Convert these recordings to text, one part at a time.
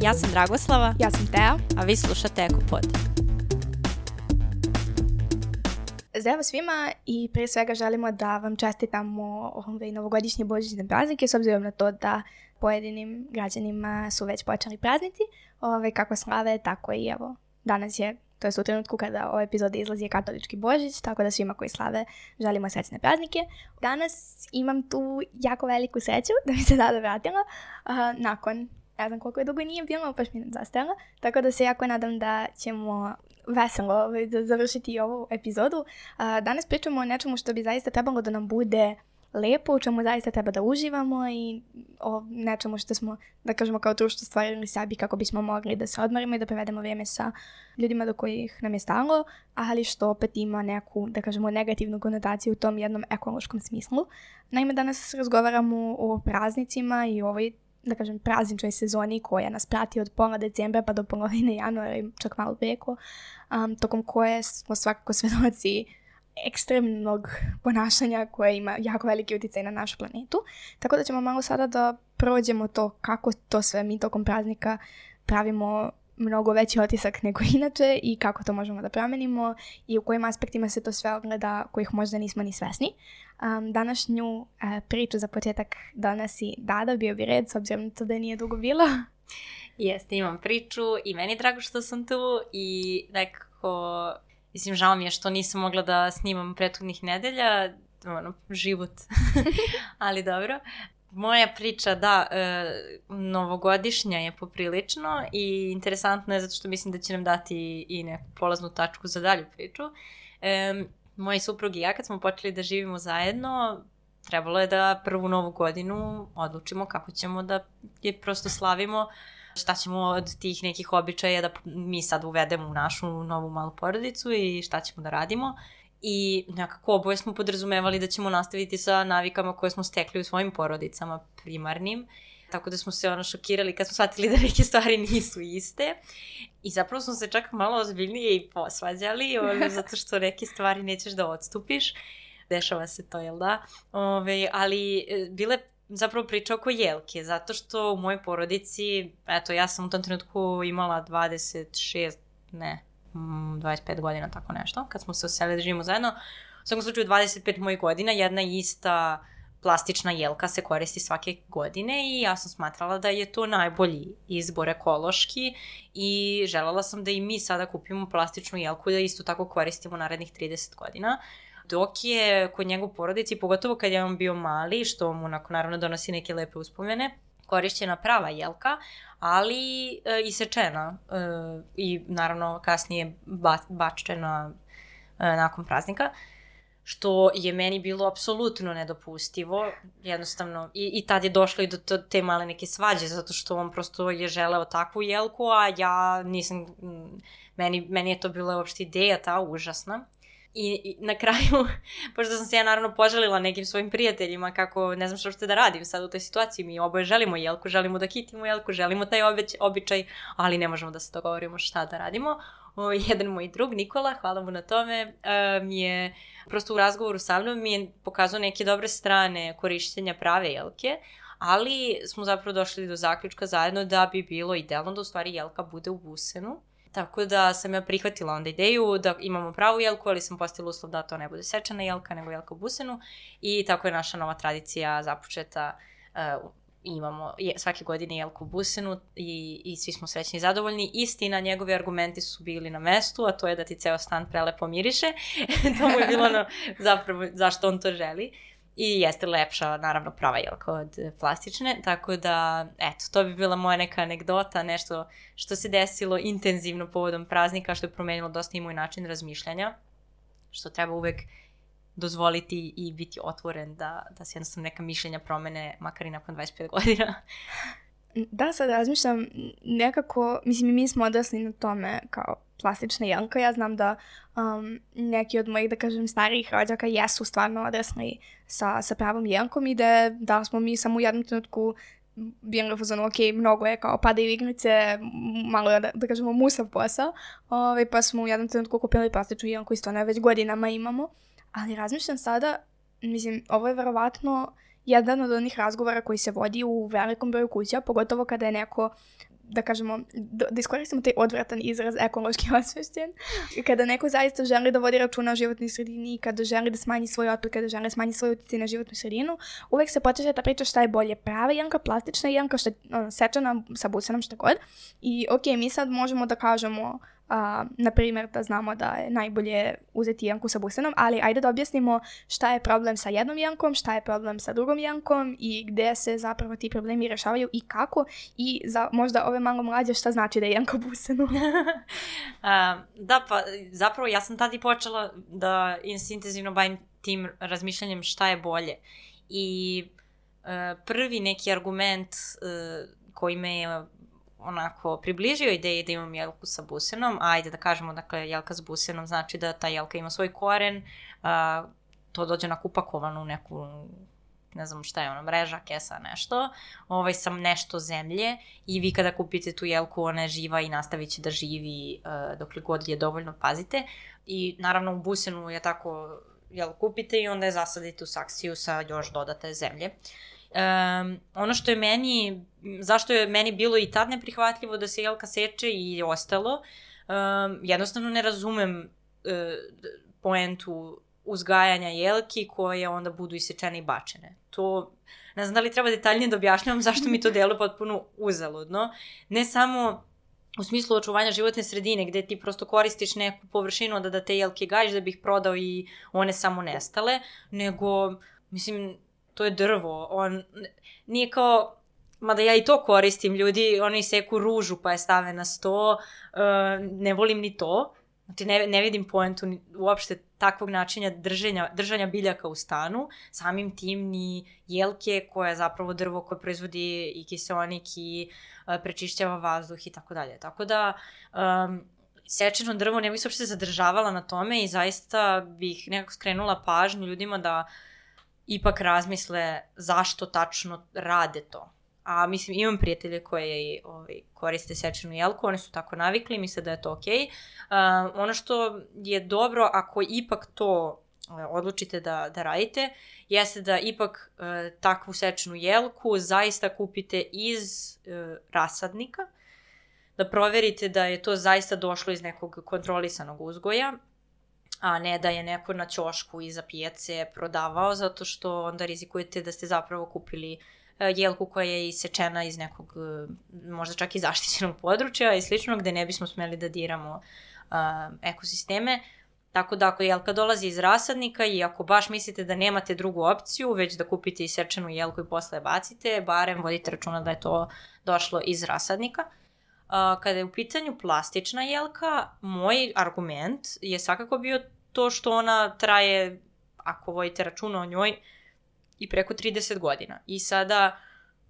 Ja sam Dragoslava. Ja sam Teja. A vi slušate Ekopod. Zdravo svima i prije svega želimo da vam čestitamo novogodišnje božićne praznike, s obzirom na to da pojedinim građanima su već počeli praznici. Kako slave, tako i evo, danas je, to je u trenutku kada ova epizoda izlazi, je katolički Božić, tako da svima koji slave želimo srećne praznike. Danas imam tu jako veliku sreću da mi se Dada vratila nakon, ne znam koliko je dugo nije bilo, baš mi je zastajala, tako da se jako nadam da ćemo veselo završiti ovu epizodu. Danas pričamo o nečemu što bi zaista trebalo da nam bude lepo, u čemu zaista treba da uživamo i o nečemu što smo, da kažemo, kao društvo stvarili sebi kako bismo mogli da se odmarimo i da prevedemo vrijeme sa ljudima do kojih nam je stalo, ali što opet ima neku, da kažemo, negativnu konotaciju u tom jednom ekološkom smislu. Naime, danas razgovaramo o praznicima i ovoj, da kažem, prazničnoj sezoni koja nas prati od pola decembra pa do polovine januara i čak malo preko, tokom koje smo svakako svedoci ekstremnog ponašanja koje ima jako veliki utjecaj na našu planetu. Tako da ćemo malo sada da prođemo to kako to sve mi tokom praznika pravimo mnogo veći otisak nego inače i kako to možemo da promenimo i u kojim aspektima se to sve ogleda kojih možda nismo ni svesni. Današnju priču za početak donosi Dada, bio bi red s obzirom na to da nije dugo bila. Jeste, imam priču i meni je drago što sam tu i nekako, mislim, žao mi je što nisam mogla da snimam prethodnih nedelja, život, ali dobro. Moja priča, da, novogodišnja je poprilično i interesantno je zato što mislim da će nam dati i neku polaznu tačku za dalju priču. Moj suprug i ja kad smo počeli da živimo zajedno, trebalo je da prvu novu godinu odlučimo kako ćemo da je prosto slavimo, šta ćemo od tih nekih običaja da mi sad uvedemo u našu novu malu porodicu i šta ćemo da radimo. I nekako oboje smo podrazumevali da ćemo nastaviti sa navikama koje smo stekli u svojim porodicama primarnim. Tako da smo se šokirali kad smo shvatili da neke stvari nisu iste. I zapravo smo se čak malo ozbiljnije i posvađali, zato što neke stvari nećeš da odstupiš. Dešava se to, jel da? Ali bile zapravo priča oko jelke, zato što u mojoj porodici, eto, ja sam u tom trenutku imala 25 godina, tako nešto, kad smo se oselili da živimo zajedno. U svakom slučaju 25 mojih godina, jedna ista plastična jelka se koristi svake godine i ja sam smatrala da je to najbolji izbor ekološki i željela sam da i mi sada kupimo plastičnu jelku i da isto tako koristimo narednih 30 godina. Dok je kod njegov porodici, pogotovo kad je on bio mali, što mu naravno donosi neke lepe uspomene, korišćena prava jelka, ali isečena i naravno kasnije bačena nakon praznika, što je meni bilo apsolutno nedopustivo, jednostavno, i tad je došlo i do te male neke svađe, zato što on prosto je želeo takvu jelku, a ja nisam, meni je to bila uopšte ideja ta užasna. I na kraju, pošto sam se ja naravno požalila nekim svojim prijateljima kako ne znam što ćete da radim sad u toj situaciji, mi oboje želimo jelku, želimo da kitimo jelku, želimo taj običaj, ali ne možemo da se dogovorimo šta da radimo. Jedan moj drug, Nikola, hvala mu na tome, mi je prosto u razgovoru sa mnom mi je pokazao neke dobre strane korištenja prave jelke, ali smo zapravo došli do zaključka zajedno da bi bilo idealno da u stvari jelka bude u busenu. Tako da sam ja prihvatila onda ideju da imamo pravu jelku, ali sam postavila uslov da to ne bude sečena jelka, nego jelka u busenu. I tako je naša nova tradicija započeta. Imamo svake godine jelku u busenu i svi smo srećni i zadovoljni. Istina, njegovi argumenti su bili na mestu, a to je da ti ceo stan prelepo miriše. To mu je bilo zapravo zašto on to želi. I jeste lepša, naravno, prava jelka od plastične, tako da, eto, to bi bila moja neka anegdota, nešto što se desilo intenzivno povodom praznika, što je promenilo dosta i moj način razmišljanja, što treba uvek dozvoliti i biti otvoren da se jednostavno neka mišljenja promene, makar i nakon 25 godina. Da, sad razmišljam nekako, mislim, mi smo odrasli na tome kao plastična jelka. Ja znam da neki od mojih, da kažem, starijih rođaka jesu stvarno odrasli sa pravom jelkom i da smo mi samo u jednom trenutku bili u fazonu, ok, mnogo je kao padaju igrice, malo je, da kažemo, musav posao, pa smo u jednom trenutku kupili plastičnu jelku i stvarno već godinama imamo. Ali razmišljam sada, mislim, ovo je verovatno jedan od onih razgovora koji se vodi u velikom broju kuća, pogotovo kada je neko da kažemo, da iskoristimo taj odvratan izraz ekološki osvešćen. Kada neko zaista želi da vodi računa o životnoj sredini, kada želi da smanji svoj otpad, kada želi da smanji svoj utjecaj na životnu sredinu, uvek se počeše ta priča šta je bolje, prava jelka, plastična jelka, sečana sa busenom, šta god. I mi sad možemo da kažemo, na primjer, da znamo da je najbolje uzeti jelku sa busenom, ali ajde da objasnimo šta je problem sa jednom jelkom, šta je problem sa drugom jelkom i gde se zapravo ti problemi rešavaju i kako, i za možda ove malo mlađe šta znači da je jelka busenu. Da, pa zapravo ja sam tad i počela da intenzivno bavim tim razmišljanjem šta je bolje. I prvi neki argument koji me je onako približio ideji da imam jelku sa busenom, ajde da kažemo, dakle, jelka sa busenom znači da ta jelka ima svoj koren, to dođe onako upakovano u neku, ne znam šta je ono, mreža, kesa, nešto, sam nešto zemlje i vi kada kupite tu jelku, ona je živa i nastavit će da živi dokle god je dovoljno pazite. I naravno u busenu je tako, jel, kupite i onda je zasadite u saksiju sa još dodate zemlje. Ono što je meni, zašto je meni bilo i tad neprihvatljivo da se jelka seče i ostalo, jednostavno ne razumem poentu uzgajanja jelki koje onda budu isečene i bačene. To, ne znam da li treba detaljnije da objašnjavam zašto mi to deluje potpuno uzaludno. Ne samo u smislu očuvanja životne sredine, gde ti prosto koristiš neku površinu da te jelke gajiš da bi ih prodao i one samo nestale, nego, mislim, to je drvo, nije kao, mada ja i to koristim, ljudi, oni seku ružu pa je stave na sto, ne volim ni to, znači ne vidim poentu uopšte takvog načina držanja biljaka u stanu, samim tim ni jelke koja je zapravo drvo koje proizvodi i kiseonik i prečišćava vazduh i tako dalje. Tako da sečeno drvo ne bih se uopšte zadržavala na tome i zaista bih nekako skrenula pažnju ljudima da ipak razmisle zašto tačno rade to. A mislim, imam prijatelje koje koriste sečenu jelku, oni su tako navikli, misle da je to okej. Ono što je dobro, ako ipak to odlučite da radite, jeste da ipak takvu sečenu jelku zaista kupite iz rasadnika, da proverite da je to zaista došlo iz nekog kontrolisanog uzgoja, a ne da je neko na ćošku iza pijace prodavao, zato što onda rizikujete da ste zapravo kupili jelku koja je isečena iz nekog, možda čak i zaštićenog područja i slično, gde ne bismo smeli da diramo ekosisteme. Tako da ako jelka dolazi iz rasadnika i ako baš mislite da nemate drugu opciju, već da kupite isečenu jelku i posle bacite, barem vodite računa da je to došlo iz rasadnika. Kada je u pitanju plastična jelka, moj argument je svakako bio to što ona traje, ako vodite računa o njoj, i preko 30 godina. I sada,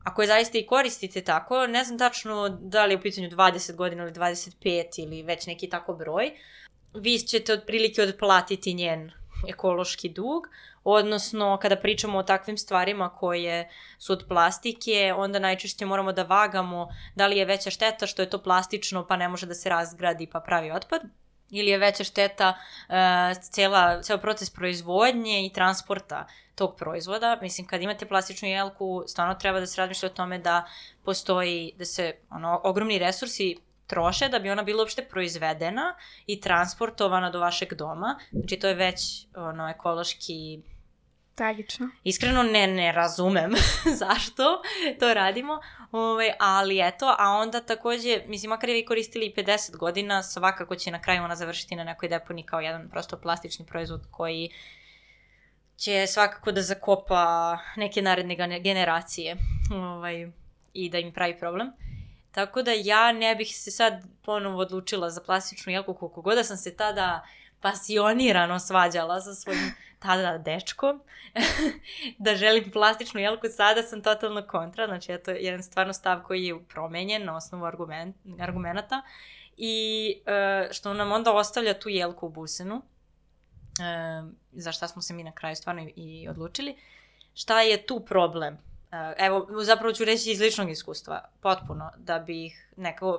ako je zaista i koristite tako, ne znam tačno da li je u pitanju 20 godina ili 25 ili već neki tako broj, vi ćete otprilike otplatiti njen ekološki dug, odnosno kada pričamo o takvim stvarima koje su od plastike, onda najčešće moramo da vagamo da li je veća šteta što je to plastično pa ne može da se razgradi pa pravi otpad, ili je veća šteta ceo proces proizvodnje i transporta tog proizvoda. Mislim, kad imate plastičnu jelku, stvarno treba da se razmišlja o tome da postoji, da se ogromni resursi troše da bi ona bila uopšte proizvedena i transportovana do vašeg doma. Znači, to je već ekološki tragično. Iskreno ne razumem zašto to radimo, ali eto, a onda takođe, mislim, makar je vi koristili 50 godina, svakako će na kraju ona završiti na nekoj deponiji kao jedan prosto plastični proizvod koji će svakako da zakopa neke naredne generacije i da im pravi problem. Tako da ja ne bih se sad ponovo odlučila za plastičnu jelku, koliko god da sam se tada pasionirano svađala sa svojim tada dečkom, da želim plastičnu jelku, sada sam totalno kontra, znači to je jedan stvarno stav koji je promenjen na osnovu argumenata i što nam onda ostavlja tu jelku u busenu, za šta smo se mi na kraju stvarno i odlučili. Šta je tu problem? Evo, zapravo ću reći iz ličnog iskustva, potpuno,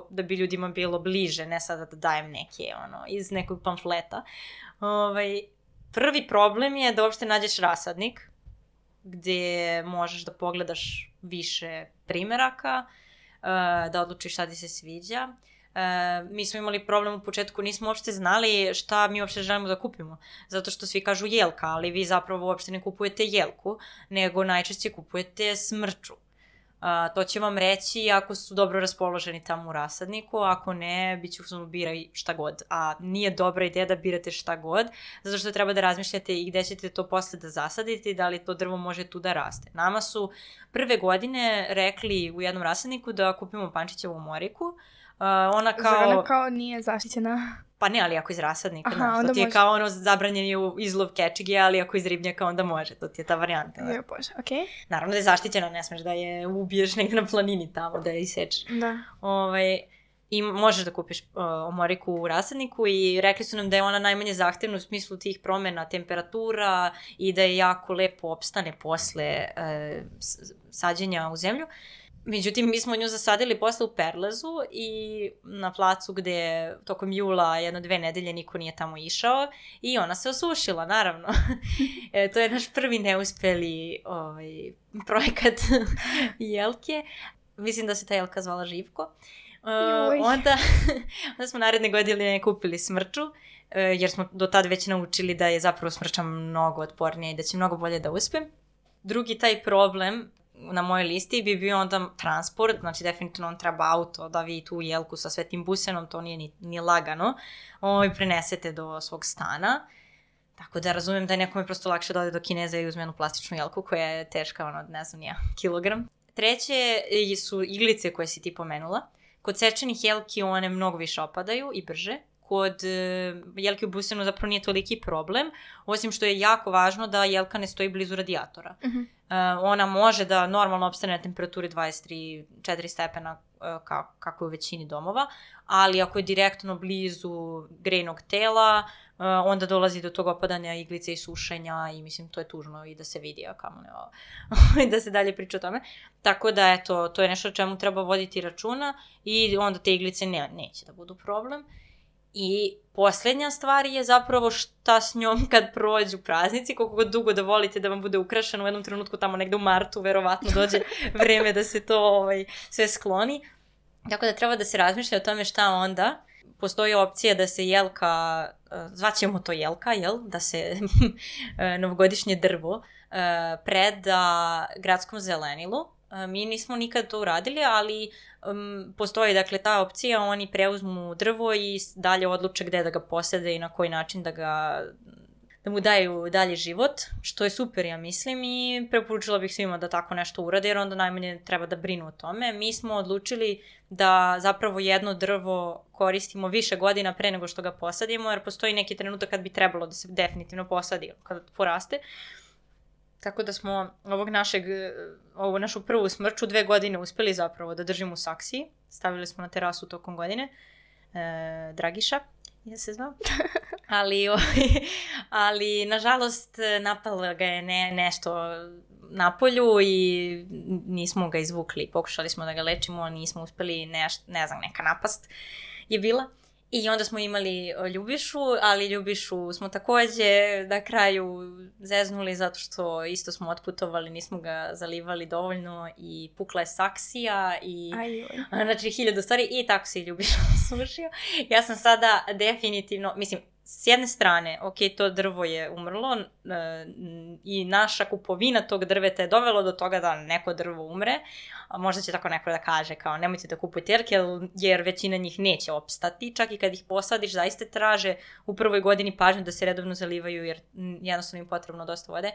da bi ljudima bilo bliže, ne sada da dajem neke, iz nekog pamfleta. Prvi problem je da uopšte nađeš rasadnik, gde možeš da pogledaš više primeraka, da odlučiš šta ti se sviđa. Mi smo imali problem u početku, nismo uopšte znali šta mi uopšte želimo da kupimo. Zato što svi kažu jelka, ali vi zapravo uopšte ne kupujete jelku, nego najčešće kupujete smrču. To će vam reći ako su dobro raspoloženi tamo u rasadniku, ako ne, bit će biraj šta god. A nije dobra ideja da birate šta god, zato što treba da razmišljate i gde ćete to posle da zasadite i da li to drvo može tu da raste. Nama su prve godine rekli u jednom rasadniku da kupimo pančićevu omoriku. Ona kao nije zaštićena. Pa ne, ali ako iz rasadnika, to ti je kao ono zabranjen izlov kečige, ali ako iz ribnjaka onda može, to ti je ta varijanta. Je, bože, okej. Naravno da je zaštićena, ne smeš da je ubiješ negdje na planini tamo, da je isečeš. Da. I možeš da kupiš omoriku u rasadniku i rekli su nam da je ona najmanje zahtevna u smislu tih promjena temperatura i da je jako lepo opstane posle sađenja u zemlju. Međutim, mi smo nju zasadili posle u Perlezu i na placu gde tokom jula 1-2 nedelje niko nije tamo išao i ona se osušila, naravno. To je naš prvi neuspeli projekat jelke. Mislim da se ta jelka zvala Živko. Onda smo naredne godine kupili smrču, jer smo do tad već naučili da je zapravo smrča mnogo otpornija i da će mnogo bolje da uspe. Drugi taj problem na mojoj listi bi bio onda transport, znači definitivno on treba auto da vi tu jelku sa svetim busenom, to nije ni lagano, prenesete do svog stana. Tako da razumijem da je nekome prosto lakše da ode do Kineza i uzme jednu plastičnu jelku koja je teška, ne znam, kilogram. Treće su iglice koje si ti pomenula. Kod sečenih jelki one mnogo više opadaju i brže. Kod jelke u busenu zapravo nije toliki problem, osim što je jako važno da jelka ne stoji blizu radijatora. Ona može da normalno opstane na temperaturi 23-4 stepena kako je u većini domova, ali ako je direktno blizu grejnog tela, onda dolazi do tog opadanja iglice i sušenja i mislim to je tužno i da se vidi, a kamo ne da se dalje priča o tome. Tako da eto, to je nešto o čemu treba voditi računa i onda te iglice neće da budu problem. I posljednja stvar je zapravo šta s njom kad prođu praznici, koliko god dugo da volite da vam bude ukrašeno, u jednom trenutku tamo negde u martu verovatno dođe vreme da se to sve skloni. Tako da treba da se razmišlja o tome šta onda. Postoji opcija da se jelka, zvaćemo to jelka, da se novogodišnje drvo preda gradskom zelenilu. Mi nismo nikad to uradili, ali postoji dakle ta opcija, oni preuzmu drvo i dalje odluče gde da ga posade i na koji način da mu daju dalje život, što je super, ja mislim, i preporučila bih svima da tako nešto urade, jer onda najmanje treba da brinu o tome. Mi smo odlučili da zapravo jedno drvo koristimo više godina pre nego što ga posadimo, jer postoji neki trenutak kad bi trebalo da se definitivno posadi kada poraste. Tako da smo ovu našu prvu smrču 2 godine uspeli zapravo da držimo u saksiji. Stavili smo na terasu tokom godine. Dragiša, ja se znam. Ali nažalost napalo ga je nešto napolju i nismo ga izvukli. Pokušali smo da ga lečimo, nismo uspeli, ne znam, neka napast je bila. I onda smo imali Ljubišu, ali Ljubišu smo takođe na kraju zeznuli zato što isto smo otputovali, nismo ga zalivali dovoljno i pukla je saksija i znači 1000 stvari i tako se i Ljubiša sušio. Ja sam sada definitivno, mislim, s jedne strane, ok, to drvo je umrlo i naša kupovina tog drveta je dovelo do toga da neko drvo umre, a možda će tako neko da kaže kao nemojte da kupujete jelke jer većina njih neće opstati, čak i kad ih posadiš zaista traže u prvoj godini pažnju da se redovno zalivaju jer jednostavno im potrebno dosta vode.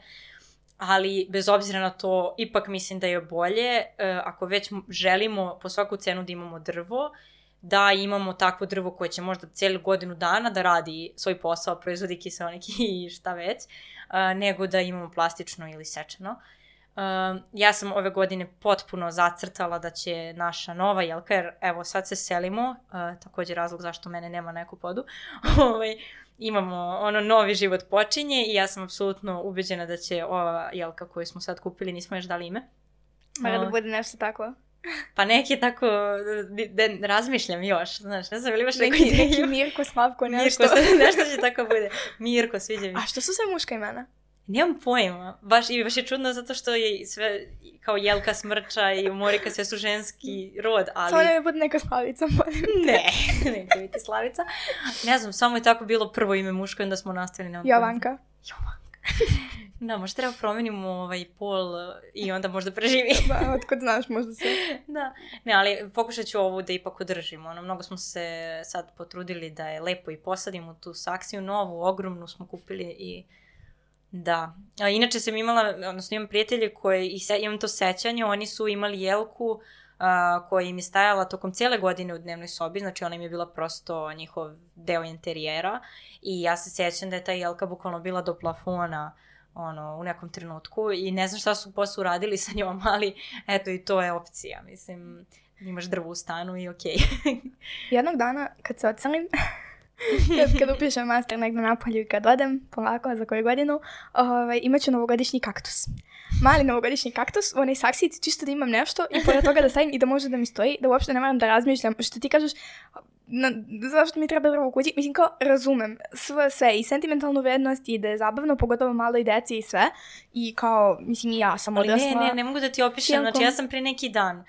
Ali bez obzira na to, ipak mislim da je bolje, ako već želimo po svaku cenu da imamo drvo, da imamo takvo drvo koje će možda cijelu godinu dana da radi svoj posao, proizvodi kiseonik i šta već, nego da imamo plastično ili sečeno. Ja sam ove godine potpuno zacrtala da će naša nova jelka, jer evo sad se selimo, također razlog zašto mene nema na Ekopodu, imamo novi život počinje i ja sam apsolutno ubeđena da će ova jelka koju smo sad kupili, nismo još dali ime. Mora da bude nešto tako. Pa neki tako, da razmišljam još, znaš, ne znam, ili imaš neku ideju? Neki Mirko, Slavko, nešto. Nešto će tako bude. Mirko, sviđa mi. A što su sve muška imena? Nemam pojma. Baš je čudno zato što je sve kao Jelka, Smrča i Morika sve su ženski rod, ali... Samo ne bude neka Slavica. Ne, neće biti Slavica. Ne znam, samo je tako bilo prvo ime muško i onda smo nastavili. Jovanka. Da, možda treba promenimo pol i onda možda preživi. Da, otkud znaš, možda se... Da, ne, ali pokušat ću ovu da ipak održimo. Mnogo smo se sad potrudili da je lepo i posadimo tu saksiju novu, ogromnu smo kupili i... Da. A inače sam imam prijatelje koji, imam to sećanje, oni su imali jelku koja im je stajala tokom cijele godine u dnevnoj sobi, znači ona im je bila prosto njihov deo interijera i ja se sećam da je ta jelka bukvalno bila do plafona u nekom trenutku i ne znam šta su posle uradili sa njom, ali eto i to je opcija, mislim, imaš drvo u stanu i okej. Jednog dana kad se odselim, kad upišem master negdje napolju i kad odem polako za koju godinu, imat ću novogodišnji kaktus. Mali novogodišnji kaktus, onaj saksici, čisto da imam nešto i pored toga da stavim i da može da mi stoji, da uopšte ne moram da razmišljam. Što ti kažeš, zašto mi treba drvo u kući? Mislim, kao razumem sve i sentimentalnu vrednost i da je zabavno, pogotovo maloj deci i sve. I kao, mislim, i ja sam odrasla. Ne mogu da ti opišem, znači ja sam pre neki dan.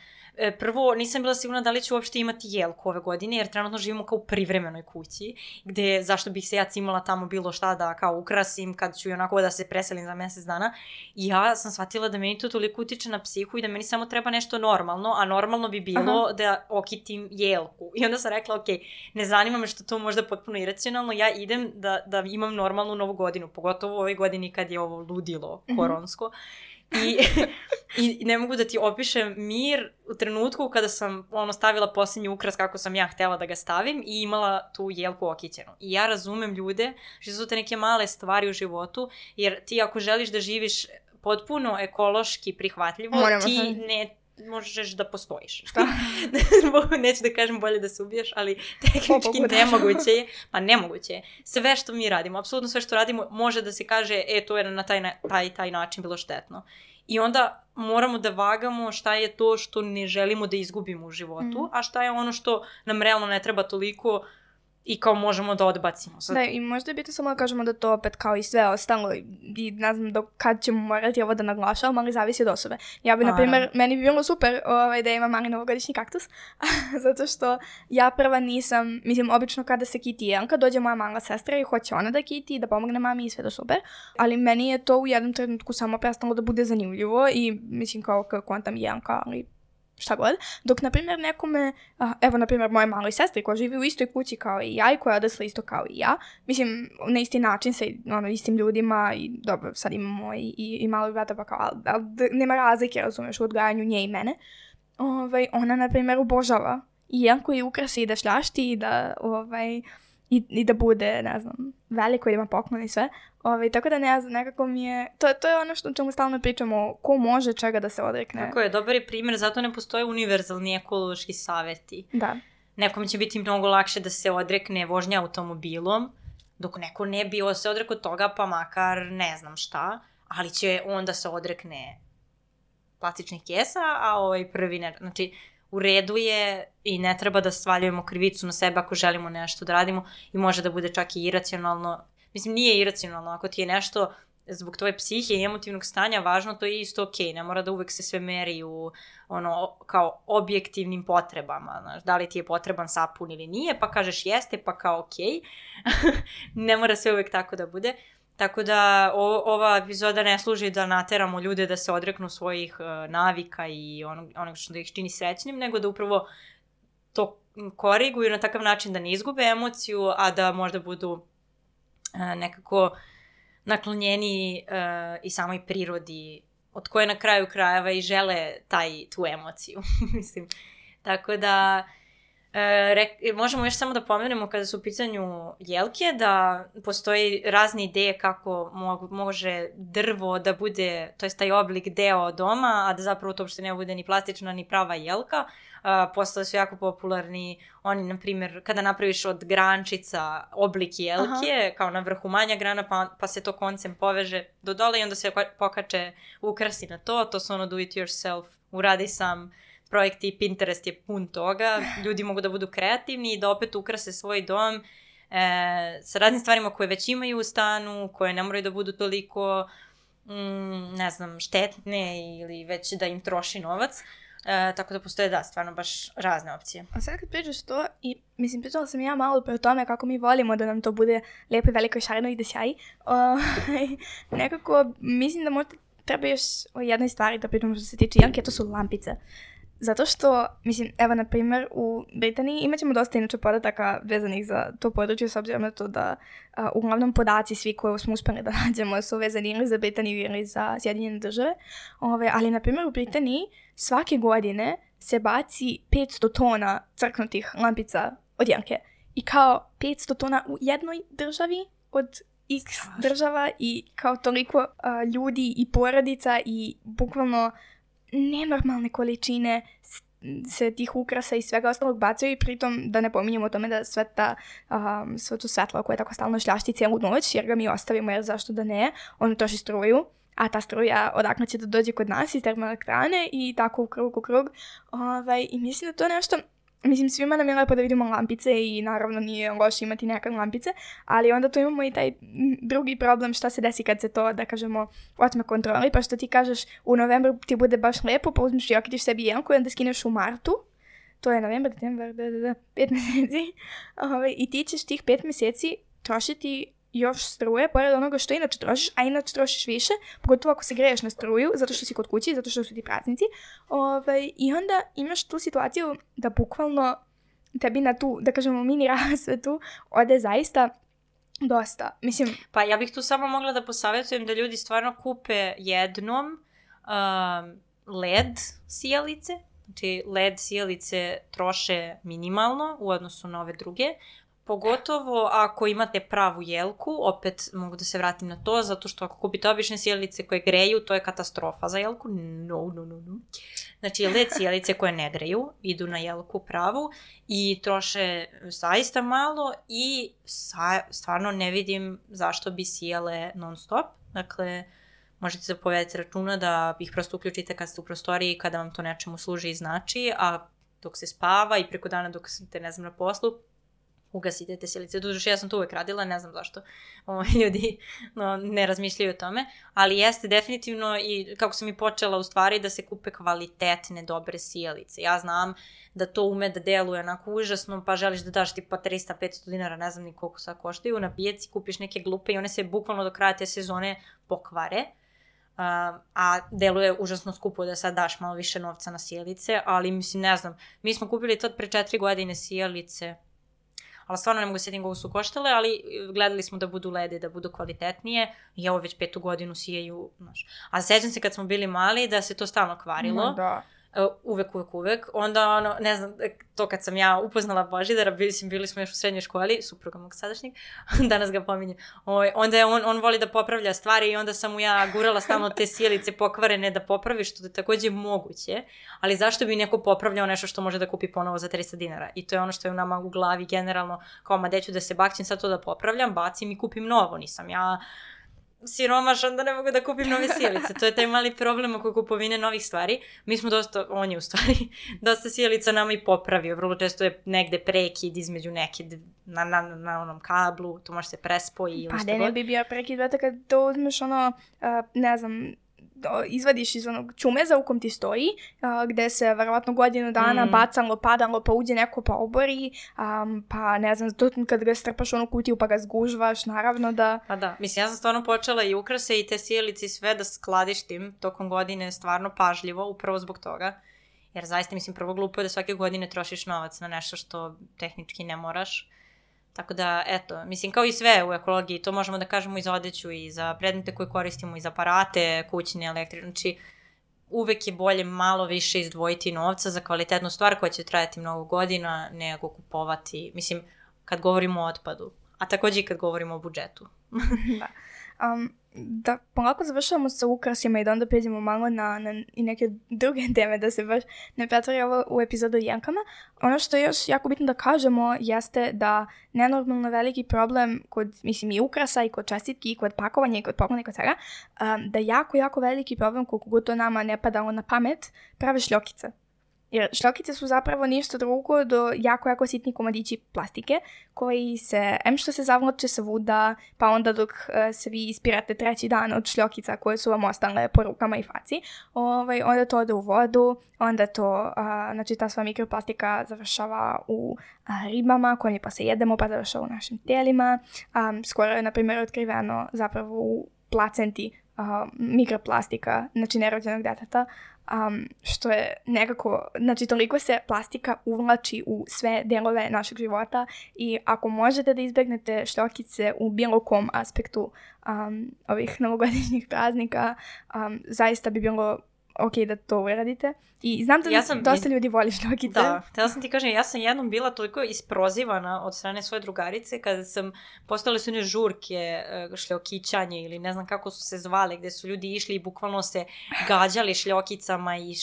Prvo, nisam bila sigurna da li ću uopšte imati jelku ove godine, jer trenutno živimo kao u privremenoj kući, gde zašto bih se ja cimala tamo bilo šta da kao ukrasim kad ću i onako da se preselim za mjesec dana. I ja sam shvatila da meni to toliko utiče na psihu i da meni samo treba nešto normalno, a normalno bi bilo da okitim jelku. I onda sam rekla, ok, ne zanima me što to možda potpuno iracionalno, ja idem da imam normalnu novu godinu, pogotovo u ovoj godini kad je ovo ludilo koronsko. I ne mogu da ti opišem mir u trenutku kada sam stavila posljednji ukras kako sam ja htjela da ga stavim i imala tu jelku okićenu. I ja razumem ljude što su te neke male stvari u životu, jer ti ako želiš da živiš potpuno ekološki prihvatljivo, ti ne možeš da postojiš. Šta? Neću da kažem bolje da se ubiješ, ali tehnički nemoguće je. Pa nemoguće je. Sve što mi radimo, apsolutno sve što radimo, može da se kaže, to je na taj način bilo štetno. I onda moramo da vagamo šta je to što ne želimo da izgubimo u životu, a šta je ono što nam realno ne treba toliko i kao možemo da odbacimo. Da, i možda je bitno samo da kažemo da to opet kao i sve ostalo i ne znam do kad ćemo morati ovo da naglašavamo, ali zavisi od osobe. Ja bi, na primjer, meni bi bilo super da imam mali novogodišnji kaktus, zato što ja prva nisam, mislim, obično kada se kiti jelka, dođe moja mala sestra i hoće ona da kiti, da pomogne mami i sve to super, ali meni je to u jednom trenutku samo prestalo da bude zanimljivo i mislim kao kontam jelka, ali šta god, dok, na primjer, nekome, evo, na primjer, moje maloj sestri koja živi u istoj kući kao i ja i koja je odrasla isto kao i ja, mislim, na isti način sa istim ljudima i dobro, sad imamo i malog brata, pa kao, ali nema razlike, razumeš, u odgajanju nje i mene, ona, na primjer, obožava i jelku i ukrasi i da šljašti i da, i da bude, ne znam, veliko i da ima poklon i sve. Tako da ne znam, nekako mi je... To je ono što čemu stalno pričamo, ko može čega da se odrekne. Tako je, dobar je primjer, zato ne postoje univerzalni ekološki savjeti. Da. Nekom će biti mnogo lakše da se odrekne vožnje automobilom, dok neko ne bi se odrekao toga, pa makar ne znam šta, ali će onda se odrekne plastičnih kesa, a prvi ne... Znači, u redu je i ne treba da svaljujemo krivicu na sebe ako želimo nešto da radimo i može da bude čak i iracionalno. Mislim, nije iracionalno. Ako ti je nešto zbog tvoje psihe i emotivnog stanja važno, to je isto okej. Ne mora da uvek se sve meri u kao objektivnim potrebama. Znaš, da li ti je potreban sapun ili nije, pa kažeš jeste, pa kao okej. Ne mora sve uvek tako da bude. Tako da ova epizoda ne služi da nateramo ljude da se odreknu svojih navika i onog što da ih čini srećnim, nego da upravo to koriguju na takav način da ne izgube emociju, a da možda budu nekako naklonjeni i samoj prirodi od koje na kraju krajeva i žele tu emociju. Mislim. Tako da možemo još samo da pomenemo kada su u pitanju jelke da postoji razne ideje kako može drvo da bude, to je taj oblik deo doma, a da zapravo to uopšte ne bude ni plastična ni prava jelka. Postale su jako popularni oni, na primjer, kada napraviš od grančica oblik jelke, kao na vrhu manja grana, pa se to koncem poveže do dole i onda se pokače ukrasi na to su do it yourself, uradi sam projekti, Pinterest je pun toga, ljudi mogu da budu kreativni i da opet ukrase svoj dom sa raznim stvarima koje već imaju u stanu, koje ne moraju da budu toliko ne znam, štetne ili već da im troši novac. Tako da postoje, stvarno baš razne opcije. A sad kad pričaš to, i mislim, pričala sam ja malo pre o tome kako mi volimo da nam to bude lijepo i veliko i šareno i da sjaji. Nekako, mislim da možda treba još o jednoj stvari da pričamo što se tiče Jelke, to su lampice. Zato što, mislim, evo, na primjer, u Britaniji imat ćemo dosta inače podataka vezanih za to područje, s obzirom na to da uglavnom podaci svi koje smo uspjeli da nađemo su vezani ili za Britaniju ili za Sjedinjene države. Ali, na primjer, u Britaniji svake godine se baci 500 tona crknutih lampica od Jelke. I kao 500 tona u jednoj državi od X država i kao toliko ljudi i porodica i bukvalno nenormalne količine se tih ukrasa i svega ostalog bacaju i pritom da ne pominjemo o tome da sve to svetlo koje tako stalno šljašti cijelu noć jer ga mi ostavimo jer zašto da ne, ono troši struju, a ta struja odakle će da dođe kod nas iz termoelektrane i tako u krug. I mislim da to nešto, mislim svima nam je lepo da vidimo lampice i naravno nije loše imati nekad lampice, ali onda tu imamo i taj drugi problem šta se desi kad se to, da kažemo, otme kontroli, pa što ti kažeš u novembru ti bude baš lepo, pa uzmiš i okitiš sebi Jelku i onda skineš u martu, to je novembar, 5 mjeseci, i ti ćeš tih 5 mjeseci trošiti još struje, pored onoga što inače trošiš, a inače trošiš više, pogotovo ako se greješ na struju, zato što si kod kući, zato što su ti praznici. I onda imaš tu situaciju da bukvalno tebi na tu, da kažemo, mini rasvetu ode zaista dosta. Mislim, pa ja bih tu samo mogla da posavjetujem da ljudi stvarno kupe jednom LED sijalice. Znači LED sijalice troše minimalno u odnosu na ove druge. Pogotovo ako imate pravu jelku, opet mogu da se vratim na to, zato što ako kupite obične sjelice koje greju, to je katastrofa za jelku. No. Znači, LED sjelice koje ne greju, idu na jelku pravu i troše zaista malo i stvarno ne vidim zašto bi sijale non stop. Dakle, možete se povedati računa da ih prosto uključite kad ste u prostoriji, kada vam to nečemu služi i znači, a dok se spava i preko dana dok ste, ne znam, na poslu, ugasite te sjelice. Doduše, ja sam to uvek radila, ne znam zašto ljudi ne razmišljaju o tome, ali jeste definitivno i kako sam i počela u stvari da se kupe kvalitetne, dobre sjelice. Ja znam da to ume da deluje onako užasno, pa želiš da daš tipa 300-500 dinara, ne znam ni koliko sad koštaju, na pijaci kupiš neke glupe i one se bukvalno do kraja te sezone pokvare. A deluje užasno skupo da sad daš malo više novca na sjelice, ali mislim, ne znam, mi smo kupili tad pre 4 godine sjelice, ali stvarno ne mogu se koliko su koštale, ali gledali smo da budu lede, da budu kvalitetnije i evo već 5. godinu sijaju, znaš. A sećam se kad smo bili mali da se to stalno kvarilo. Da. Uvek. Onda, ne znam, to kad sam ja upoznala Božidara, bili smo još u srednjoj školi, supruga mog sadašnjeg, danas ga pominjem, onda je on voli da popravlja stvari i onda sam mu ja gurala stalno te sjelice pokvarene da popravi, što je također moguće, ali zašto bi neko popravljao nešto što može da kupi ponovo za 300 dinara? I to je ono što je u nama u glavi generalno, kao ma deću da se bakćem sad to da popravljam, bacim i kupim novo, nisam ja siromaš, onda ne mogu da kupim nove sjelice. To je taj mali problem oko kupovine novih stvari. Mi smo on je u stvari dosta sjelica nama i popravio. Vrlo često je negde prekid između neke na onom kablu, to može se prespoji ili što god. Pa ne bi bio prekid, vete kad to uzmeš ne znam, izvadiš iz onog čumeza u kom ti stoji, gde se verovatno godinu dana bacalo, padalo, pa uđe neko pa obori, pa ne znam, kad ga strpaš u onu kutiju pa ga zgužvaš, naravno da... Pa da, mislim, ja sam stvarno počela i ukrase i te sjelice i sve da skladištim tokom godine stvarno pažljivo, upravo zbog toga, jer zaista, mislim, prvo glupo je da svake godine trošiš novac na nešto što tehnički ne moraš. Tako da, eto, mislim, kao i sve u ekologiji, to možemo da kažemo i za odeću i za predmete koje koristimo i za aparate, kućne, električne, znači uvek je bolje malo više izdvojiti novca za kvalitetnu stvar koja će trajati mnogo godina nego kupovati, mislim, kad govorimo o otpadu, a također i kad govorimo o budžetu. Da. Da polako završavamo sa ukrasima i da onda pređemo malo na i neke druge teme, da se baš ne pretvori ovo u epizodu o jelkama. Ono što je još jako bitno da kažemo jeste da nenormalno veliki problem kod, mislim, i ukrasa i kod čestitki i kod pakovanja i kod poklona i kod svega, da jako veliki problem, koliko god to nama ne padalo na pamet, prave šljokice. Jer šljokice su zapravo ništa drugo do jako sitni komadići plastike koji se, što se zavlače svuda, pa onda dok se vi ispirate treći dan od šljokica koje su vam ostale po rukama i faci, onda to ode u vodu, onda to, znači ta sva mikroplastika završava u ribama koje mi pa se jedemo, pa završava u našim tijelima. Skoro je, na primjer, otkriveno zapravo u placenti mikroplastika, znači nerođenog deteta, što je nekako, znači toliko se plastika uvlači u sve delove našeg života i ako možete da izbegnete šljokice u bilo kom aspektu ovih novogodišnjih praznika, zaista bi bilo ok da to uradite. I znam da dosta ljudi voli šljokice. Da, htjela sam ti kažem, ja sam jednom bila toliko isprozivana od strane svoje drugarice kada sam postale su one žurke šljokićanje ili ne znam kako su se zvale, gde su ljudi išli i bukvalno se gađali šljokicama i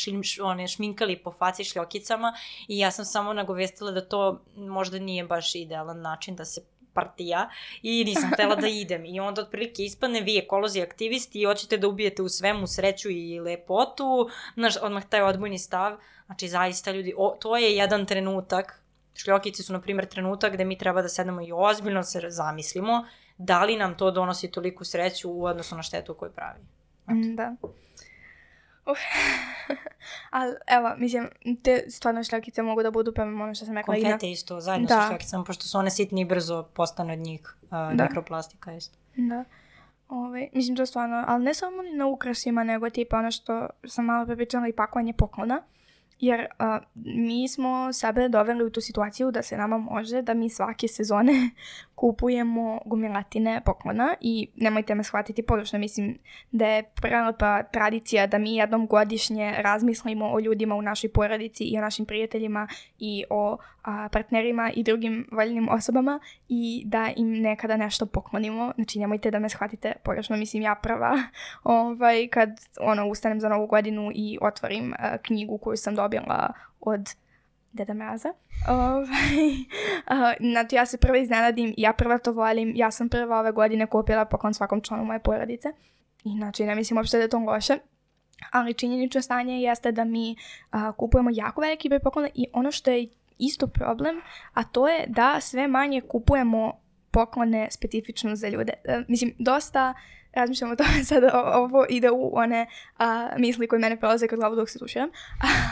šminkali po faci šljokicama i ja sam samo nagovestila da to možda nije baš idealan način da se partija i nisam htjela da idem. I onda otprilike ispadne vi ekolozi aktivisti i hoćete da ubijete u svemu sreću i lepotu. Znaš, odmah taj odbojni stav. Znači, zaista ljudi, to je jedan trenutak. Šljokice su, na primjer, trenutak gde mi treba da sednemo i ozbiljno se zamislimo da li nam to donosi toliku sreću u odnosu na štetu koju pravi. Da. Ali evo, mislim, te stvarno šljokice mogu da budu prema ono što sam rekla. Konfete isto, zajedno sa šljokicama, pošto su one sitni i brzo postane od njih mikroplastika isto. Da. Mislim, to stvarno, ali ne samo na ukrasima, nego tipa ono što sam malo prepričala i pakovanje poklona. Jer mi smo sebe doveli u tu situaciju da se nama može da mi svake sezone kupujemo gomilatine poklona i nemojte me shvatiti pogrešno, mislim da je prelepa tradicija da mi jednom godišnje razmislimo o ljudima u našoj porodici i o našim prijateljima i o partnerima i drugim voljnim osobama i da im nekada nešto poklonimo. Znači nemojte da me shvatite pogrešno, mislim ja prva kad ustanem za Novu godinu i otvorim knjigu koju sam dobila od Deda Mraza. Znači ja se prva iznenadim, ja prva to volim, ja sam prva ove godine kupila poklon svakom članu moje porodice. I znači ne mislim uopšte da je to loše, ali činjenično stanje jeste da mi kupujemo jako veliki broj poklona i ono što je isto problem, a to je da sve manje kupujemo poklone specifično za ljude. Mislim, dosta razmišljam o tome sad, ovo ide u one misli koje mene prolaze kod glavu dok se tuširam,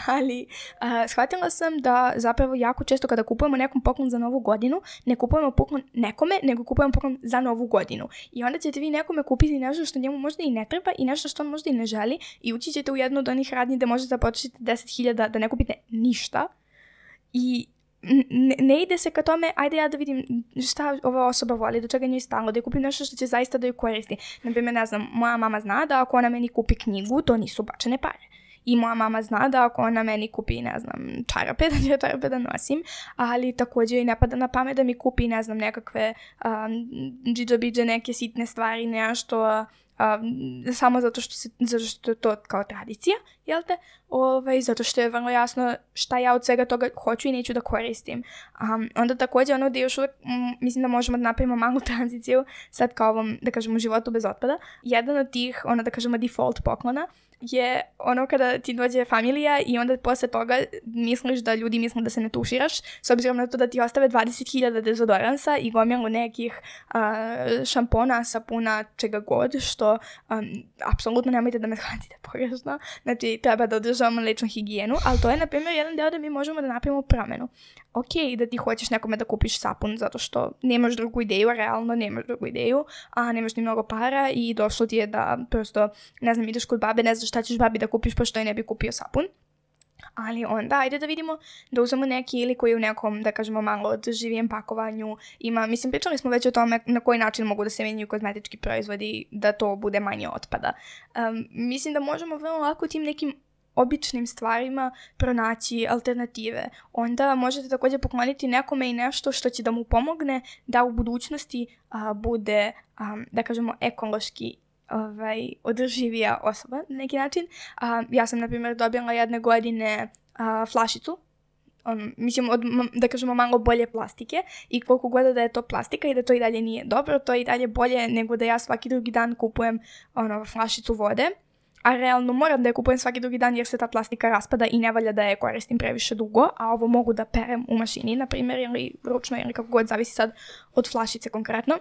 ali shvatila sam da zapravo jako često kada kupujemo nekom poklon za Novu godinu, ne kupujemo poklon nekome, nego kupujemo poklon za Novu godinu. I onda ćete vi nekome kupiti nešto što njemu možda i ne treba i nešto što on možda i ne želi i ući ćete u jednu od onih radnji da možete da potrošite 10.000 da ne kupite ništa i ne ide se ka tome, ajde ja da vidim šta ova osoba voli, do čega njoj stalo, da je kupim nešto što će zaista da ju koristi. Naprimjer, ne znam, moja mama zna da ako ona meni kupi knjigu, to nisu bačene pare. I moja mama zna da ako ona meni kupi, ne znam, čarape, da ću čarape da nosim, ali također i ne pada na pamet da mi kupi, ne znam, nekakve džidžabidže, neke sitne stvari, nešto samo zato što je to kao tradicija, jel te? Zato što je vrlo jasno šta ja od svega toga hoću i neću da koristim. Onda također ono gdje još uvijek mislim da možemo da napravimo malu tranziciju sad kao ovom, da kažemo, životu bez otpada. Jedan od tih, da kažemo, default poklona je ono kada ti dođe familija i onda posle toga misliš da ljudi misle da se ne tuširaš, s obzirom na to da ti ostave 20.000 dezodoransa i gomilu nekih šampona, sapuna, čega god, što apsolutno nemojte da me shvatite pogrešno. Znači, treba da održavamo ličnu higijenu, ali to je, na primjer, jedan deo da mi možemo da napravimo promenu. Ok, da ti hoćeš nekome da kupiš sapun zato što nemaš drugu ideju, realno nemaš drugu ideju, a nemaš ni mnogo para i došlo ti je da prosto, ne znam, ideš kod babe, ne znaš šta ćeš babi da kupiš pošto je ne bi kupio sapun. Ali onda, ajde da vidimo, da uzmemo neki ili koji u nekom, da kažemo, malo odživijem pakovanju ima, mislim, pričali smo već o tome na koji način mogu da se menjaju kozmetički proizvodi, da to bude manje otpada. Mislim da možemo vrlo lako tim nekim običnim stvarima pronaći alternative. Onda možete također pokloniti nekome i nešto što će da mu pomogne da u budućnosti bude, da kažemo, ekološki održivija osoba na neki način. Ja sam, na primjer, dobila jedne godine flašicu, mislim, da kažemo, malo bolje plastike i koliko god da je to plastika i da to i dalje nije dobro, to je i dalje bolje nego da ja svaki drugi dan kupujem flašicu vode a realno moram da je kupujem svaki drugi dan jer se ta plastika raspada i ne valja da je koristim previše dugo, a ovo mogu da perem u mašini, na primjer, ili ručno, ili kako god, zavisi sad od flašice konkretno,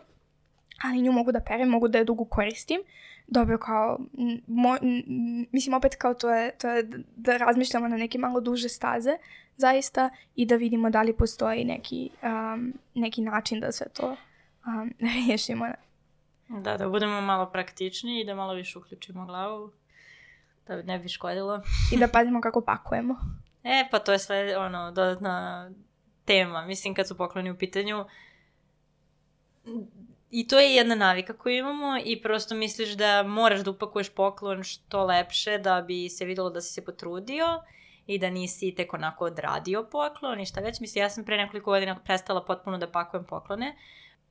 ali nju mogu da perem, mogu da je dugo koristim. Dobro, kao, mislim opet kao to je da razmišljamo na neke malo duže staze, zaista, i da vidimo da li postoji neki način da sve to riješimo. Da budemo malo praktičniji i da malo više uključimo glavu, da ne bi škodilo. I da pazimo kako pakujemo. Pa to je sve, dodatna tema. Mislim, kad su pokloni u pitanju, i to je jedna navika koju imamo i prosto misliš da moraš da upakuješ poklon što lepše da bi se videlo da si se potrudio i da nisi tek onako odradio poklon i šta već. Mislim, ja sam pre nekoliko godina prestala potpuno da pakujem poklone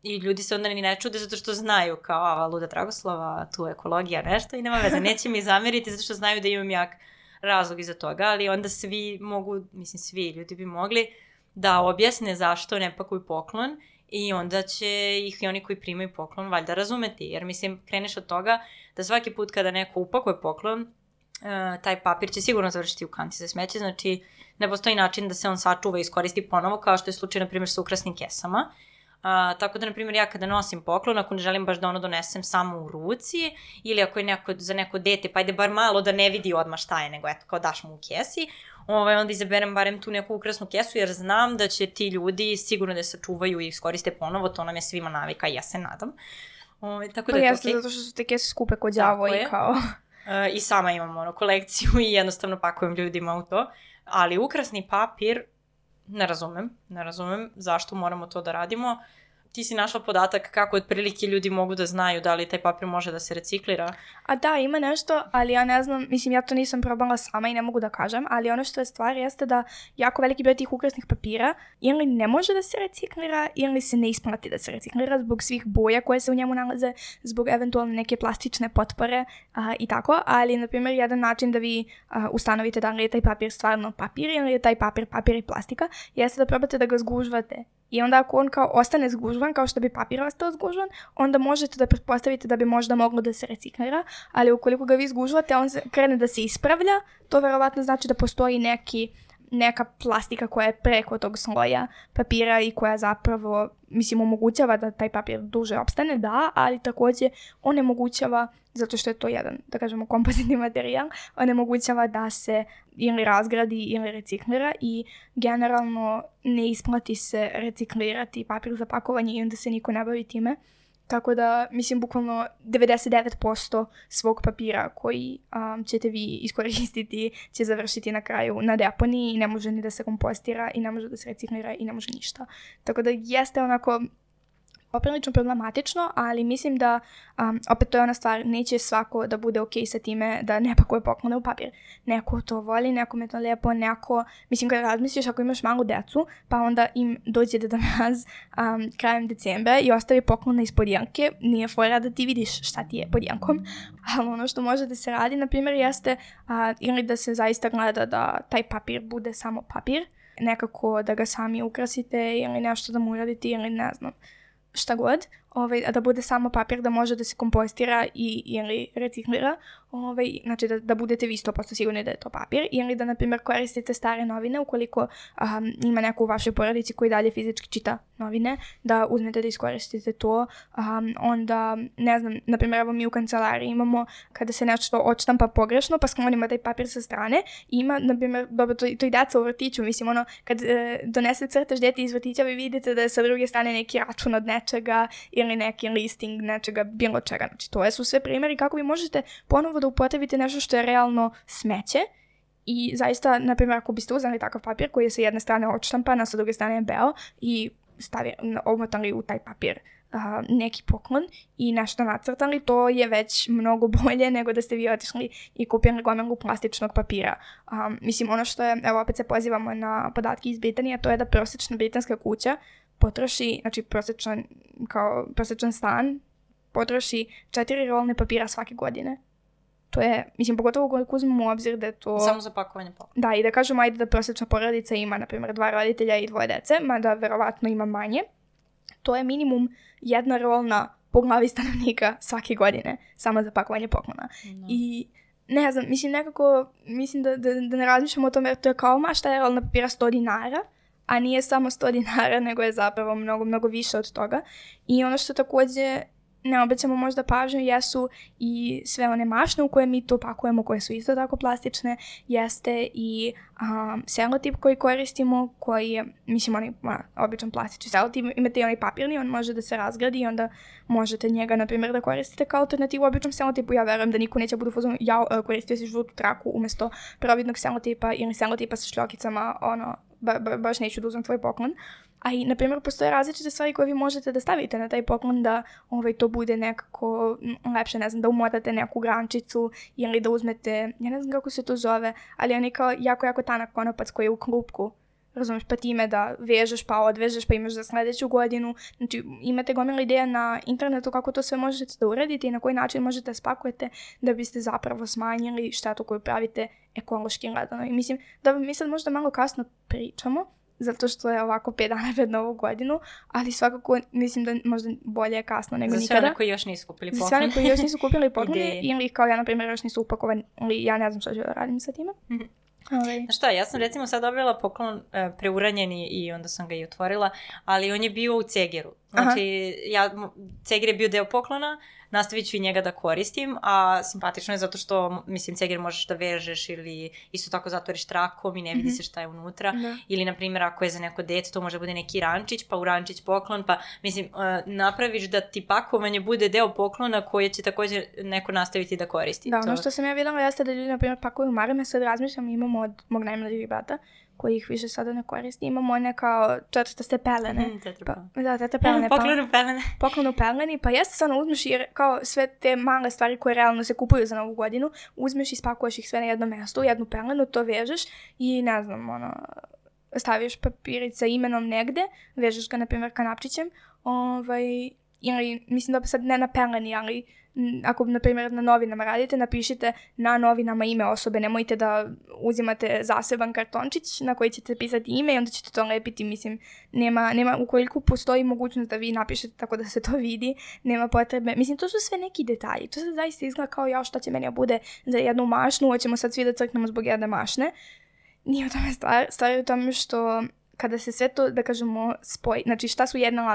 i ljudi se onda ni ne čude zato što znaju kao luda Dragoslava, tu ekologija, nešto i nema veze, neće mi zameriti zato što znaju da imam jak razlog iza toga, ali onda svi mogu, mislim svi ljudi bi mogli da objasne zašto ne pakuju poklon i onda će ih i oni koji primaju poklon valjda razumeti, jer mislim kreneš od toga da svaki put kada neko upakuje poklon, taj papir će sigurno završiti u kanti za smeće, znači ne postoji način da se on sačuva i iskoristi ponovo, kao što je slučaj na primjer sa ukrasnim kesama. Tako da, na primjer, ja kada nosim poklon, ako ne želim baš da ono donesem samo u ruci, ili ako je za neko dete, pa ajde bar malo da ne vidi odmah šta je, nego eto, kao daš mu u kesi, onda izaberem barem tu neku ukrasnu kesu, jer znam da će ti ljudi sigurno da se čuvaju i iskoriste ponovo, to nam je svima navika i ja se nadam. Tako da jeste, zato što su te kese skupe kod đavo i kao... I sama imam kolekciju i jednostavno pakujem ljudima u to, ali ukrasni papir, ne razumem zašto moramo to da radimo. Ti si našla podatak kako otprilike ljudi mogu da znaju da li taj papir može da se reciklira? A da, ima nešto, ali ja ne znam, mislim ja to nisam probala sama i ne mogu da kažem, ali ono što je stvar jeste da jako veliki broj tih ukrasnih papira ili ne može da se reciklira ili se ne isplati da se reciklira zbog svih boja koje se u njemu nalaze, zbog eventualno neke plastične potpore i tako, ali na primjer jedan način da vi ustanovite da li je taj papir stvarno papir ili je taj papir i plastika jeste da probate da ga zgužvate. I onda ako on kao ostane zgužvan, kao što bi papir ostao zgužvan, onda možete da pretpostavite da bi možda moglo da se reciklira, ali ukoliko ga vi zgužvate, on krene da se ispravlja, to verovatno znači da postoji neka plastika koja je preko tog sloja papira i koja zapravo, mislim, omogućava da taj papir duže opstane, da, ali također onemogućava, zato što je to jedan, da kažemo, kompozitni materijal, onemogućava da se ili razgradi ili reciklira i generalno ne isplati se reciklirati papir za pakovanje i onda se niko ne bavi time. Tako da, mislim, bukvalno 99% svog papira koji ćete vi iskoristiti će završiti na kraju na deponiji i ne može ni da se kompostira i ne može da se reciklira i ne može ništa. Tako da jeste onako poprilično problematično, ali mislim da opet to je ona stvar, neće svako da bude okej sa time da ne pakuje poklone u papir. Neko to voli, nekome to lijepo, neko, mislim kad razmisliš ako imaš malu decu, pa onda im dođe Deda Mraz krajem decembra i ostavi poklone ispod janke, nije fora da ti vidiš šta ti je pod jankom, ali ono što može da se radi, na primjer, jeste ili da se zaista gleda da taj papir bude samo papir, nekako da ga sami ukrasite ili nešto da mu uradite ili ne znam, šta god, da bude samo papir da može da se kompostira ili reciklira, znači da budete vi 100% sigurni da je to papir, ili da, na primjer, koristite stare novine ukoliko ima neko u vašoj porodici koji dalje fizički čita novine, da uzmete da iskoristite to, onda, ne znam, na primjer, evo mi u kancelariji imamo kada se nešto odštampa pogrešno, pa sklonimo taj papir sa strane, ima, na primjer, dobro, to i deca u vrtiću, mislim, kad donese crtež dete iz vrtića, vi vidite da je sa druge strane neki račun od nečega, ili neki listing nečega, bilo čega. Znači, to su sve primjeri kako vi možete ponovo da upotrebite nešto što je realno smeće i zaista, na primjer, ako biste uzeli takav papir koji je sa jedne strane odštampan, a sa druge strane je beo i omotali u taj papir neki poklon i nešto nacrtali, to je već mnogo bolje nego da ste vi otišli i kupili gomilu plastičnog papira. Mislim, ono što je, evo opet se pozivamo na podatke iz Britanije, to je da prosječna britanska kuća potroši, znači prosječan stan potroši 4 rolne papira svake godine. To je, mislim, pogotovo koliko uzmemo u obzir da je to... Samo za pakovanje poklona. Da, i da kažemo, ajde da prosječna porodica ima, na primjer, 2 roditelja i 2 dece, mada verovatno ima manje. To je minimum 1 rolna po glavi stanovnika svake godine, samo za pakovanje poklona. No. I ne znam, mislim nekako, mislim da ne razmišljamo o tome jer to je kao mašta jer na papira 100 dinara, a nije samo 100 dinara, nego je zapravo mnogo, mnogo više od toga. I ono što također ne obećamo možda pažnju jesu i sve one mašne u koje mi to pakujemo, koje su isto tako plastične, jeste i selotip koji koristimo, koji je, mislim, onaj običan plastični selotip, imate i onaj papirni, on može da se razgradi i onda možete njega, na primjer, da koristite kao alternativu običnom selotipu. Ja verujem da niko neće budu fazonu, koristio si žutu traku umjesto providnog selotipa ili selotipa sa šljokicama, baš neću da uzmem tvoj poklon. A i, na primjer, postoje različite stvari koje vi možete da stavite na taj poklon da to bude nekako lepše, ne znam, da umotate neku grančicu ili da uzmete, ja ne znam kako se to zove, ali on je kao jako tanak konopac koji je u klupku, razumiješ, pa time da vežeš pa odvežeš pa imaš za sljedeću godinu. Znači, imate gomila ideja na internetu kako to sve možete da uradite i na koji način možete da spakujete da biste zapravo smanjili štetu koju pravite ekološki gledano. I mislim da mi sad možda malo kasno pričamo, zato što je ovako 5 dana pred Novu godinu, ali svakako mislim da možda bolje je kasno nego nikada. Za sve one koji još nisu kupili poklon. Za sve one koji još nisu kupili poklon ili kao ja, na primjer, još nisu upakovani, ili ja ne znam što ću da radim sa time. Znaš šta, ja sam recimo sad dobila poklon preuranjeni i onda sam ga i otvorila, ali on je bio u cegeru. Znači, ceger je bio deo poklona, nastavit ću i njega da koristim, a simpatično je zato što, mislim, ceger možeš da vežeš ili isto tako zatvoriš trakom i ne vidi se šta je unutra. Ili, na primjer, ako je za neko dete, to može bude neki rančić, pa u rančić poklon, pa, mislim, napraviš da ti pakovanje bude deo poklona koje će također neko nastaviti da koristi. Da, ono što sam ja vidjela jeste da ljudi, na primjer, pakuju marame, sad razmišljam, imamo od mog najmlađeg brata, koji ih više sada ne koristi. Imamo one kao četvrtaste pelene. Tetrapelene. Poklonu peleni. Pa jeste stvarno uzmeš i kao sve te male stvari koje realno se kupuju za Novu godinu, uzmeš i spakuješ ih sve na jedno mjesto, u jednu pelenu, to vežeš i ne znam, staviš papirić sa imenom negde, vežeš ga, na primjer, kanapčićem, ili, mislim da sad ne na peleni, ali ako, na primjer, na novinama radite, napišite na novinama ime osobe, nemojte da uzimate zaseban kartončić na koji ćete pisati ime i onda ćete to lepiti, mislim, nema, ukoliko postoji mogućnost da vi napišete tako da se to vidi, nema potrebe, mislim, to su sve neki detalji, to se zaista izgleda kao šta će meni bude za jednu mašnu, hoćemo sad svi da crknemo zbog jedne mašne. Nije u tome stvar je u tome što kada se sve to, da kažemo, spoji, znači šta su jedna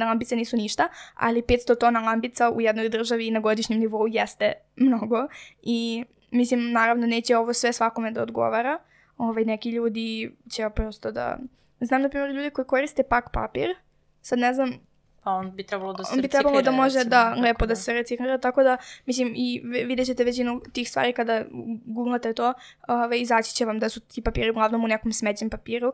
lampice nisu ništa, ali 500 tona lampica u jednoj državi na godišnjem nivou jeste mnogo i mislim, naravno neće ovo sve svakome da odgovara, neki ljudi će prosto da, znam na primjer ljudi koji koriste pak papir, sad ne znam, pa on bi trebalo da se reciklira. On bi trebalo da može lepo da se reciklira, tako da, mislim, i vidjet ćete većinu tih stvari kada googlate to, izaći će vam da su ti papiri uglavnom u nekom smeđem papiru,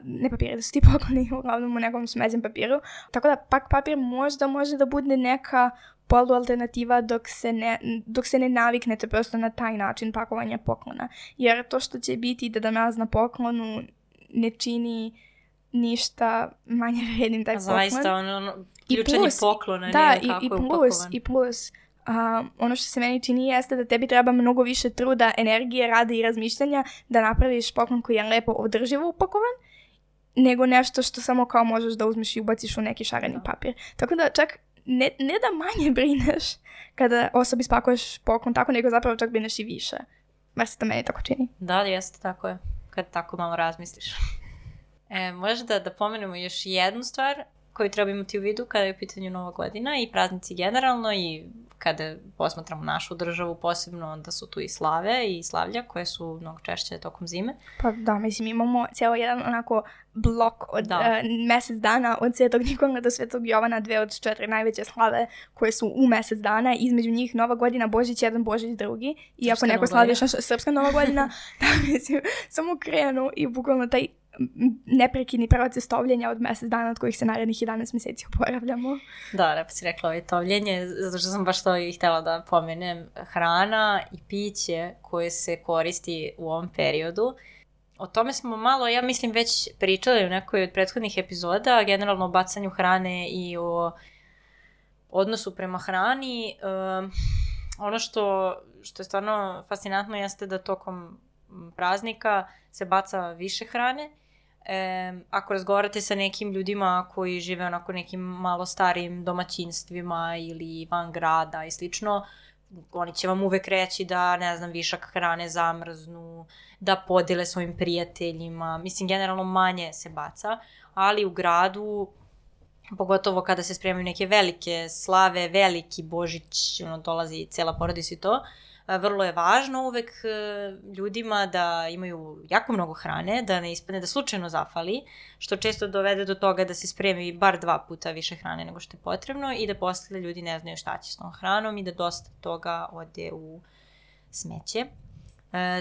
ne papiri, da su ti pokloni uglavnom u nekom smeđem papiru, tako da pak papir možda može da bude neka polualternativa dok se ne naviknete prosto na taj način pakovanja poklona, jer to što će biti da nas na poklonu ne čini ništa manje vrednim taj poklon. Zaista, ključanje poklona, da, ne kako je upakovan. I plus, ono što se meni čini jeste da tebi treba mnogo više truda, energije, rada i razmišljanja da napraviš poklon koji je lepo održivo upakovan, nego nešto što samo kao možeš da uzmeš i ubaciš u neki šareni papir. Tako da čak ne da manje brineš kada osobi spakuješ poklon tako, nego zapravo čak brineš i više. Bar se to meni tako čini. Da, jeste, tako je. Kad tako malo razmisliš. Možda da pomenemo još jednu stvar koju treba imati u vidu kada je u pitanju Nova godina i praznici generalno i kada posmatramo našu državu posebno, onda su tu i slave i slavlja koje su mnogo češće tokom zime. Pa da, mislim imamo cijelo jedan onako blok od mjesec dana od Svetog Nikola do Svetog Jovana, 2 od 4 najveće slave koje su u mjesec dana, između njih Nova godina, Božić jedan, Božić drugi i ako neko slavi Srpska Nova godina, da, mislim, samo krenu i bukvalno taj neprekidni proces tovljenja od mjesec dana od kojih se narednih 11 mjeseci oporavljamo. Da, lepo si rekla tovljenje, zato što sam baš to i htjela da pomenem. Hrana i piće koje se koristi u ovom periodu. O tome smo malo, ja mislim, već pričali u nekoj od prethodnih epizoda, generalno o bacanju hrane i o odnosu prema hrani. Ono što je stvarno fascinantno jeste da tokom praznika se baca više hrane. Ako razgovarate sa nekim ljudima koji žive onako nekim malo starijim domaćinstvima ili van grada i slično, oni će vam uvek reći da, ne znam, višak hrane zamrznu, da podele svojim prijateljima, mislim, generalno manje se baca, ali u gradu, pogotovo kada se spremaju neke velike slave, veliki Božić, dolazi cela porodica i to, vrlo je važno uvek ljudima da imaju jako mnogo hrane, da ne ispadne da slučajno zafali, što često dovede do toga da se spremi bar 2 puta više hrane nego što je potrebno i da posle ljudi ne znaju šta će s tom hranom i da dosta toga ode u smeće.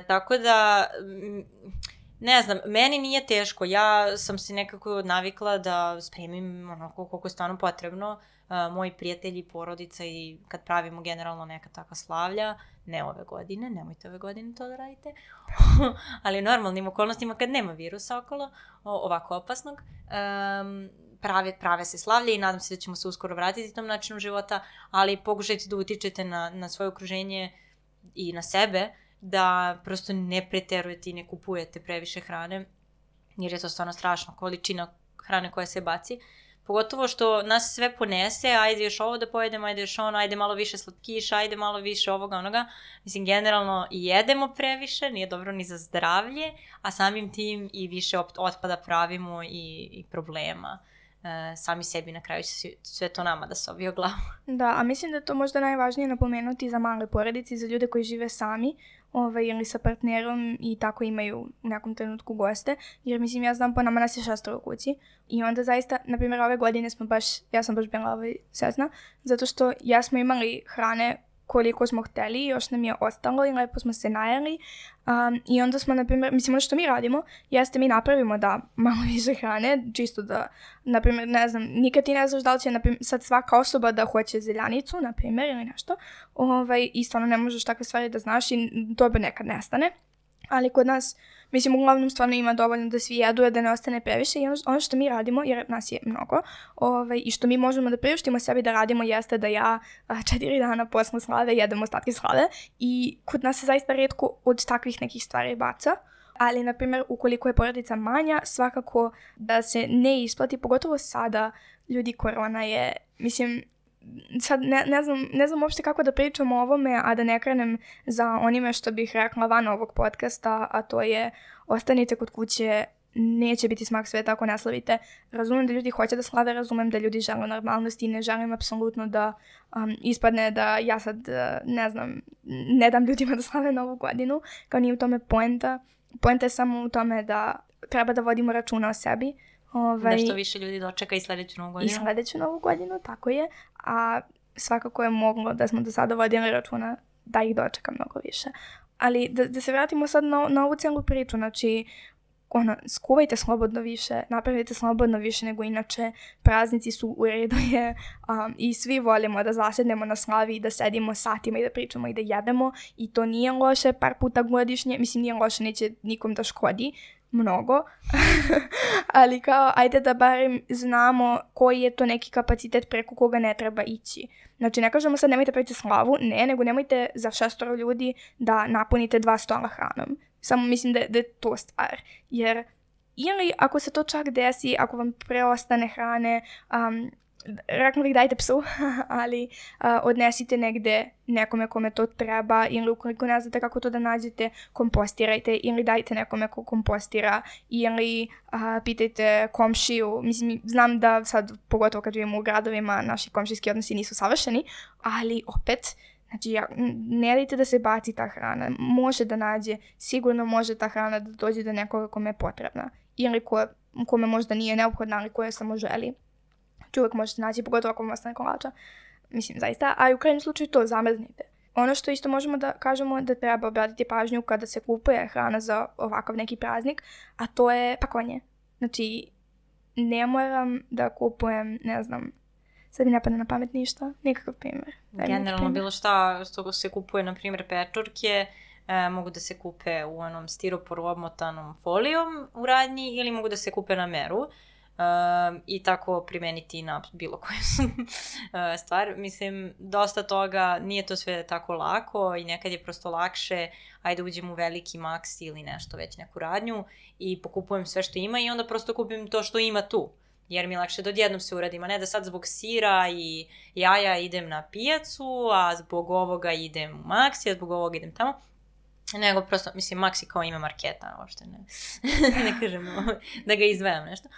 Tako da, ne znam, meni nije teško, ja sam se nekako navikla da spremim onako koliko je stvarno potrebno. Moji prijatelji, porodica i kad pravimo generalno neka takva slavlja, ne ove godine, nemojte ove godine to da radite, ali u normalnim okolnostima kad nema virusa okolo, ovako opasnog, prave se slavlje i nadam se da ćemo se uskoro vratiti tom načinu života, ali pokušajte da utičete na svoje okruženje i na sebe, da prosto ne preterujete i ne kupujete previše hrane, jer je to stvarno strašno, količina hrane koja se baci. Pogotovo što nas sve ponese, ajde još ovo da pojedemo, ajde još ono, ajde malo više slatkiša, ajde malo više ovoga, onoga. Mislim, generalno jedemo previše, nije dobro ni za zdravlje, a samim tim i više otpada pravimo i problema. Sami sebi na kraju će sve to nama da se obije o glavu. Da, a mislim da je to možda najvažnije napomenuti za male porodice, za ljude koji žive sami, ili sa partnerom i tako imaju u nekom trenutku goste, jer mislim ja znam po nama nas je 6 u kući i onda zaista, na primjer ove godine ja sam baš bila sretna, zato što ja smo imali hrane koliko smo hteli, još nam je ostalo i lepo smo se najeli i onda smo, na primjer, mislim ono što mi radimo jeste mi napravimo da malo više hrane, čisto da, na primjer, ne znam, nikad ti ne znaš da li će sad svaka osoba da hoće zeljanicu, na primjer, ili nešto, i stvarno ne možeš takve stvari da znaš i to bi nekad nestane. Ali kod nas, mislim, uglavnom stvarno ima dovoljno da svi jedu, da ne ostane previše i ono što mi radimo, jer nas je mnogo, i što mi možemo da priuštimo sebi da radimo jeste da ja 4 dana posle slave jedem ostatke slave i kod nas se zaista retko od takvih nekih stvari baca. Ali, na primjer, ukoliko je porodica manja, svakako da se ne isplati, pogotovo sada, ljudi, korona je, mislim, sad ne znam uopšte kako da pričam o ovome, a da ne krenem za onime što bih rekla van ovog podcasta, a to je ostanite kod kuće, neće biti smak sveta ako ne slavite. Razumem da ljudi hoće da slave, razumem da ljudi žele normalnosti i ne želim apsolutno da ispadne da ja sad, ne znam, ne dam ljudima da slave Novu godinu, kao nije u tome poenta. Poenta je samo u tome da treba da vodimo računa o sebi. Da što više ljudi dočeka i sledeću Novu godinu. I sledeću Novu godinu, tako je. A svakako je moglo da smo do sada vodili računa da ih dočeka mnogo više. Ali da se vratimo sad na ovu celu priču, znači skuvajte slobodno više, napravite slobodno više nego inače, praznici su u redu je i svi volimo da zasednemo na slavi i da sedimo satima i da pričamo i da jedemo i to nije loše par puta godišnje, mislim nije loše, neće nikom da škodi mnogo, ali kao ajde da barem znamo koji je to neki kapacitet preko koga ne treba ići. Znači ne kažemo sad nemojte praviti slavu, nego nemojte za 6 ljudi da napunite 2 stola hranom. Samo mislim da je to stvar. Jer ili ako se to čak desi, ako vam preostane hrane, rekla bih dajte psu, ali odnesite negde nekome kome to treba ili ukoliko ne znate kako to da nađete, kompostirajte ili dajte nekome ko kompostira ili pitajte komšiju. Mislim, znam da sad, pogotovo kad živimo u gradovima, naši komšijski odnosi nisu savršeni, ali opet, znači, ne dajte da se baci ta hrana. Može da nađe, sigurno može ta hrana da dođe do nekoga kome je potrebna. Ili kome možda nije neophodna, ali koje samo želi. Uvijek možete naći, pogotovo ako vam ostane kolača. Mislim, zaista. A u krajnjem slučaju to zamrznite. Ono što isto možemo da kažemo da treba obratiti pažnju kada se kupuje hrana za ovakav neki praznik, a to je pakovanje. Znači, ne moram da kupujem, ne znam, sad mi ne pada na pamet ništa, nikakav primjer. Generalno bilo šta što se kupuje, na primjer pečurke, mogu da se kupe u onom stiroporu obmotanom folijom u radnji ili mogu da se kupe na meru. I tako primeniti na bilo koju stvar. Mislim, dosta toga, nije to sve tako lako i nekad je prosto lakše, ajde uđem u veliki Maxi ili nešto, već neku radnju i pokupujem sve što ima i onda prosto kupim to što ima tu. jer mi je lakše da odjednom se uradim, a ne da sad zbog sira i jaja idem na pijacu, a zbog ovoga idem u Maxi, a zbog ovoga idem tamo. Nego prosto, mislim, Maxi kao ime marketa, uopšte ne, ne kažemo da ga izvajam nešto.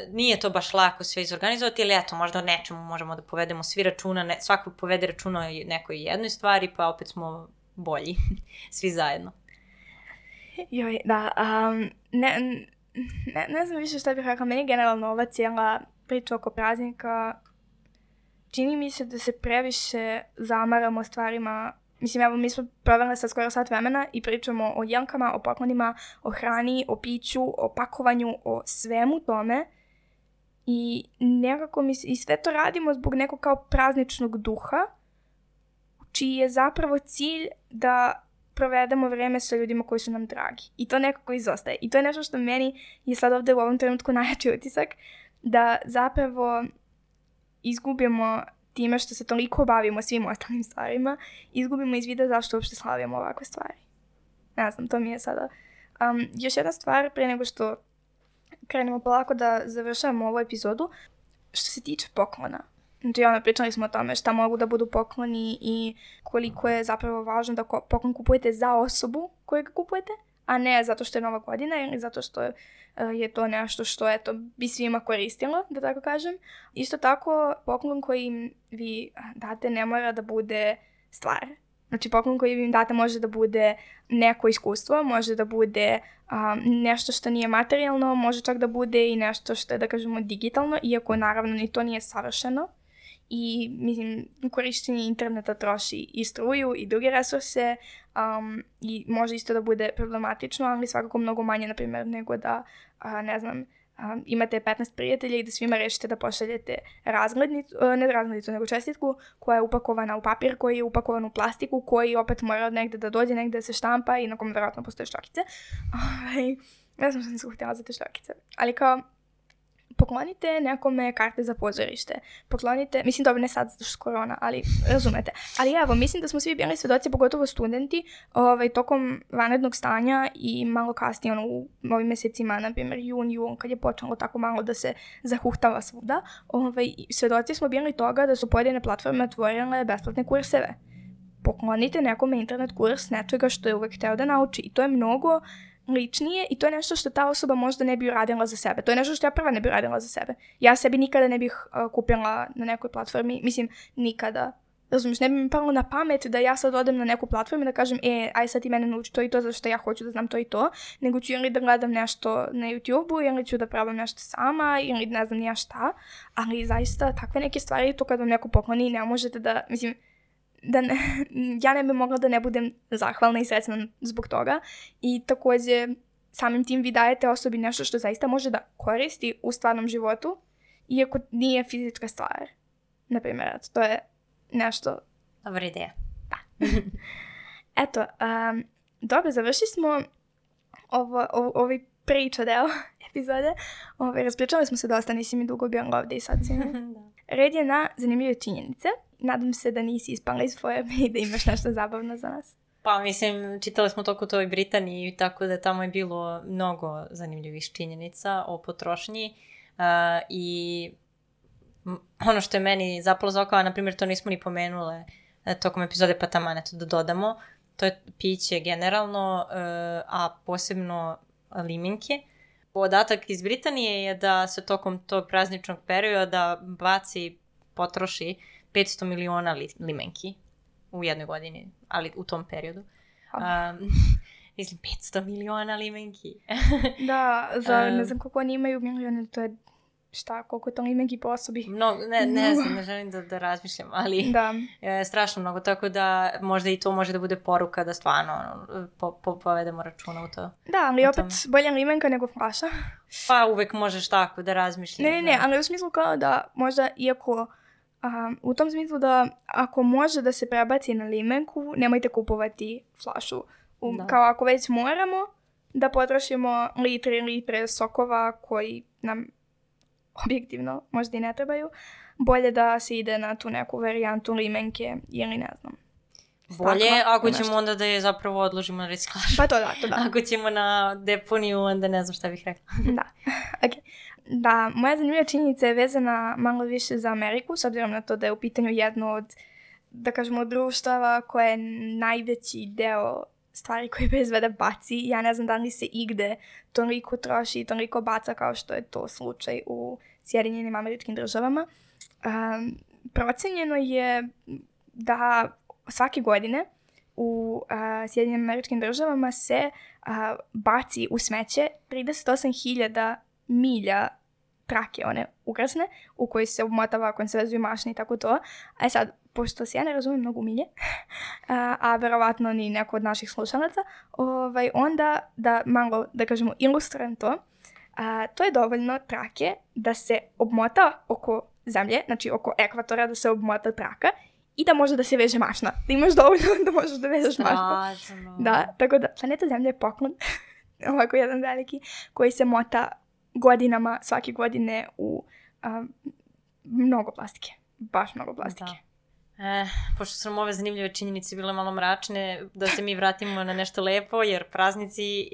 Nije to baš lako sve izorganizovati, ali eto, možda o nečemu možemo da povedemo svi računa, svako povede računa o nekoj jednoj stvari, pa opet smo bolji, svi zajedno. Joj, da, ne znam više šta bih rekla, meni generalno ova cijela priča oko praznika, čini mi se da se previše zamaramo stvarima. Mislim, evo, mi smo proveli sad skoro sat vremena i pričamo o jelkama, o poklonima, o hrani, o piću, o pakovanju, o svemu tome. I nekako i sve to radimo zbog nekog kao prazničnog duha, čiji je zapravo cilj da provedemo vreme sa ljudima koji su nam dragi. I to nekako izostaje. I to je nešto što meni je sad ovdje u ovom trenutku najjači utisak, da zapravo izgubimo time što se toliko bavimo svim ostalim stvarima, izgubimo iz vida zašto uopšte slavimo ovakve stvari. Ne znam, to mi je sada. Još jedna stvar, pre nego što krenemo polako da završavamo ovu epizodu, što se tiče poklona. Znači, pričali smo o tome šta mogu da budu pokloni i koliko je zapravo važno da poklon kupujete za osobu koju ga kupujete, a ne zato što je Nova godina ili zato što je to nešto što bi svima koristilo, da tako kažem. Isto tako, poklon koji vi date ne mora da bude stvar. Znači, poklon koji vi im date može da bude neko iskustvo, može da bude nešto što nije materijalno, može čak da bude i nešto što je, da kažemo, digitalno, iako naravno ni to nije savršeno. I, mislim, korištenje interneta troši i struju i druge resurse i može isto da bude problematično, ali svakako mnogo manje, na primjer, nego da, ne znam, imate 15 prijatelja i da svima rešite da pošaljete razglednicu, nego čestitku koja je upakovana u papir, koji je upakovan u plastiku, koji opet mora od negde da dođe, negde da se štampa i na kom vjerojatno postoje šljakice. Ne znam što nisam htjela za te šljakice. Ali kao, poklonite nekome karte za pozorište. Poklonite, mislim dobro ne sad zato što korona, ali razumete. Ali evo, mislim da smo svi bili svedoci, pogotovo studenti, tokom vanrednog stanja i malo kasnije, u ovim mjesecima, na primjer jun, kad je počelo tako malo da se zahuhtava svuda, svedoci smo bili toga da su pojedine platforme otvorile besplatne kurseve. Poklonite nekome internet kurs nečega što je uvek hteo da nauči. I to je mnogo ličnije i to je nešto što ta osoba možda ne bi uradila za sebe. To je nešto što ja prva ne bi uradila za sebe. Ja sebi nikada ne bih kupila na nekoj platformi, mislim, nikada. Razumiješ, ne bi mi palo na pamet da ja sad odem na neku platformu i da kažem, aj sad ti mene nauči to i to, zašto ja hoću da znam to i to, nego ću ili da gledam nešto na YouTube-u, ili ću da probam nešto sama, ili ne znam nija šta, ali zaista takve neke stvari, to kad vam neko pokloni, ne možete da, mislim, ja ne bi mogla da ne budem zahvalna i srećna zbog toga i također samim tim vi dajete osobi nešto što zaista može da koristi u stvarnom životu, iako nije fizička stvar. Naprimjer, to je nešto... Dobra ideja. Da. Eto, dobro, završili smo ovaj priča deo epizode. Raspričali smo se dosta, nisi mi dugo bio ovdje i sad si mi. Red je na zanimljive činjenice. Nadam se da nisi ispala iz forme i da imaš nešto zabavno za nas. Pa mislim, čitali smo toliko to i Britaniji, tako da tamo je bilo mnogo zanimljivih činjenica o potrošnji i ono što je meni zapalo za oko, na primjer to nismo ni pomenule tokom epizode, pa taman eto da dodamo, to je piće generalno, a posebno limenke. Podatak iz Britanije je da se tokom tog prazničnog perioda potroši 500 miliona limenki u jednoj godini, ali u tom periodu. Mislim, 500 miliona limenki. Da, za ne znam koliko oni imaju milione, to je šta, koliko je to limenki po osobi. Ne znam, ne želim da razmišljam, ali strašno mnogo, tako da možda i to može da bude poruka da stvarno povedemo računa u to. Da, ali opet bolja limenka nego flaša. Pa uvek možeš tako da razmišljaš. Ne, ali u smislu kao da možda iako... u tom smislu da ako može da se prebaci na limenku, nemojte kupovati flašu. Kao ako već moramo da potrošimo litre sokova koji nam objektivno možda i ne trebaju, bolje da se ide na tu neku varijantu limenke ili ne znam. Bolje ako ćemo onda da je zapravo odložimo na reciklažu. Pa to da. Ako ćemo na deponiju, onda ne znam šta bih rekla. Da, ok. Da, moja zanimljiva činjenica je vezana malo više za Ameriku, s obzirom na to da je u pitanju jedno od, da kažemo, društava koje je najveći deo stvari koje proizvede baci. Ja ne znam da li se igde toliko troši i toliko baca kao što je to slučaj u Sjedinjenim Američkim Državama. Procenjeno je da svake godine u Sjedinjenim Američkim Državama se baci u smeće 38.000 milja trake, one ukrasne, u koji se obmotava, konservezuju mašne i tako to. A sad, pošto se ja ne razumijem mnogo milje, a verovatno ni neko od naših slušalaca, onda da malo, da kažemo, ilustrujem to, to je dovoljno trake da se obmota oko zemlje, znači oko ekvatora da se obmota traka i da može da se veže mašna. Da imaš dovoljno da možeš da vežeš mašnu. Da, tako da planeta Zemlja je poklon, ovako jedan veliki, koji se mota godinama, svake godine u mnogo plastike. Baš mnogo plastike. Pošto su nam ove zanimljive činjenice bile malo mračne, da se mi vratimo na nešto lepo, jer praznici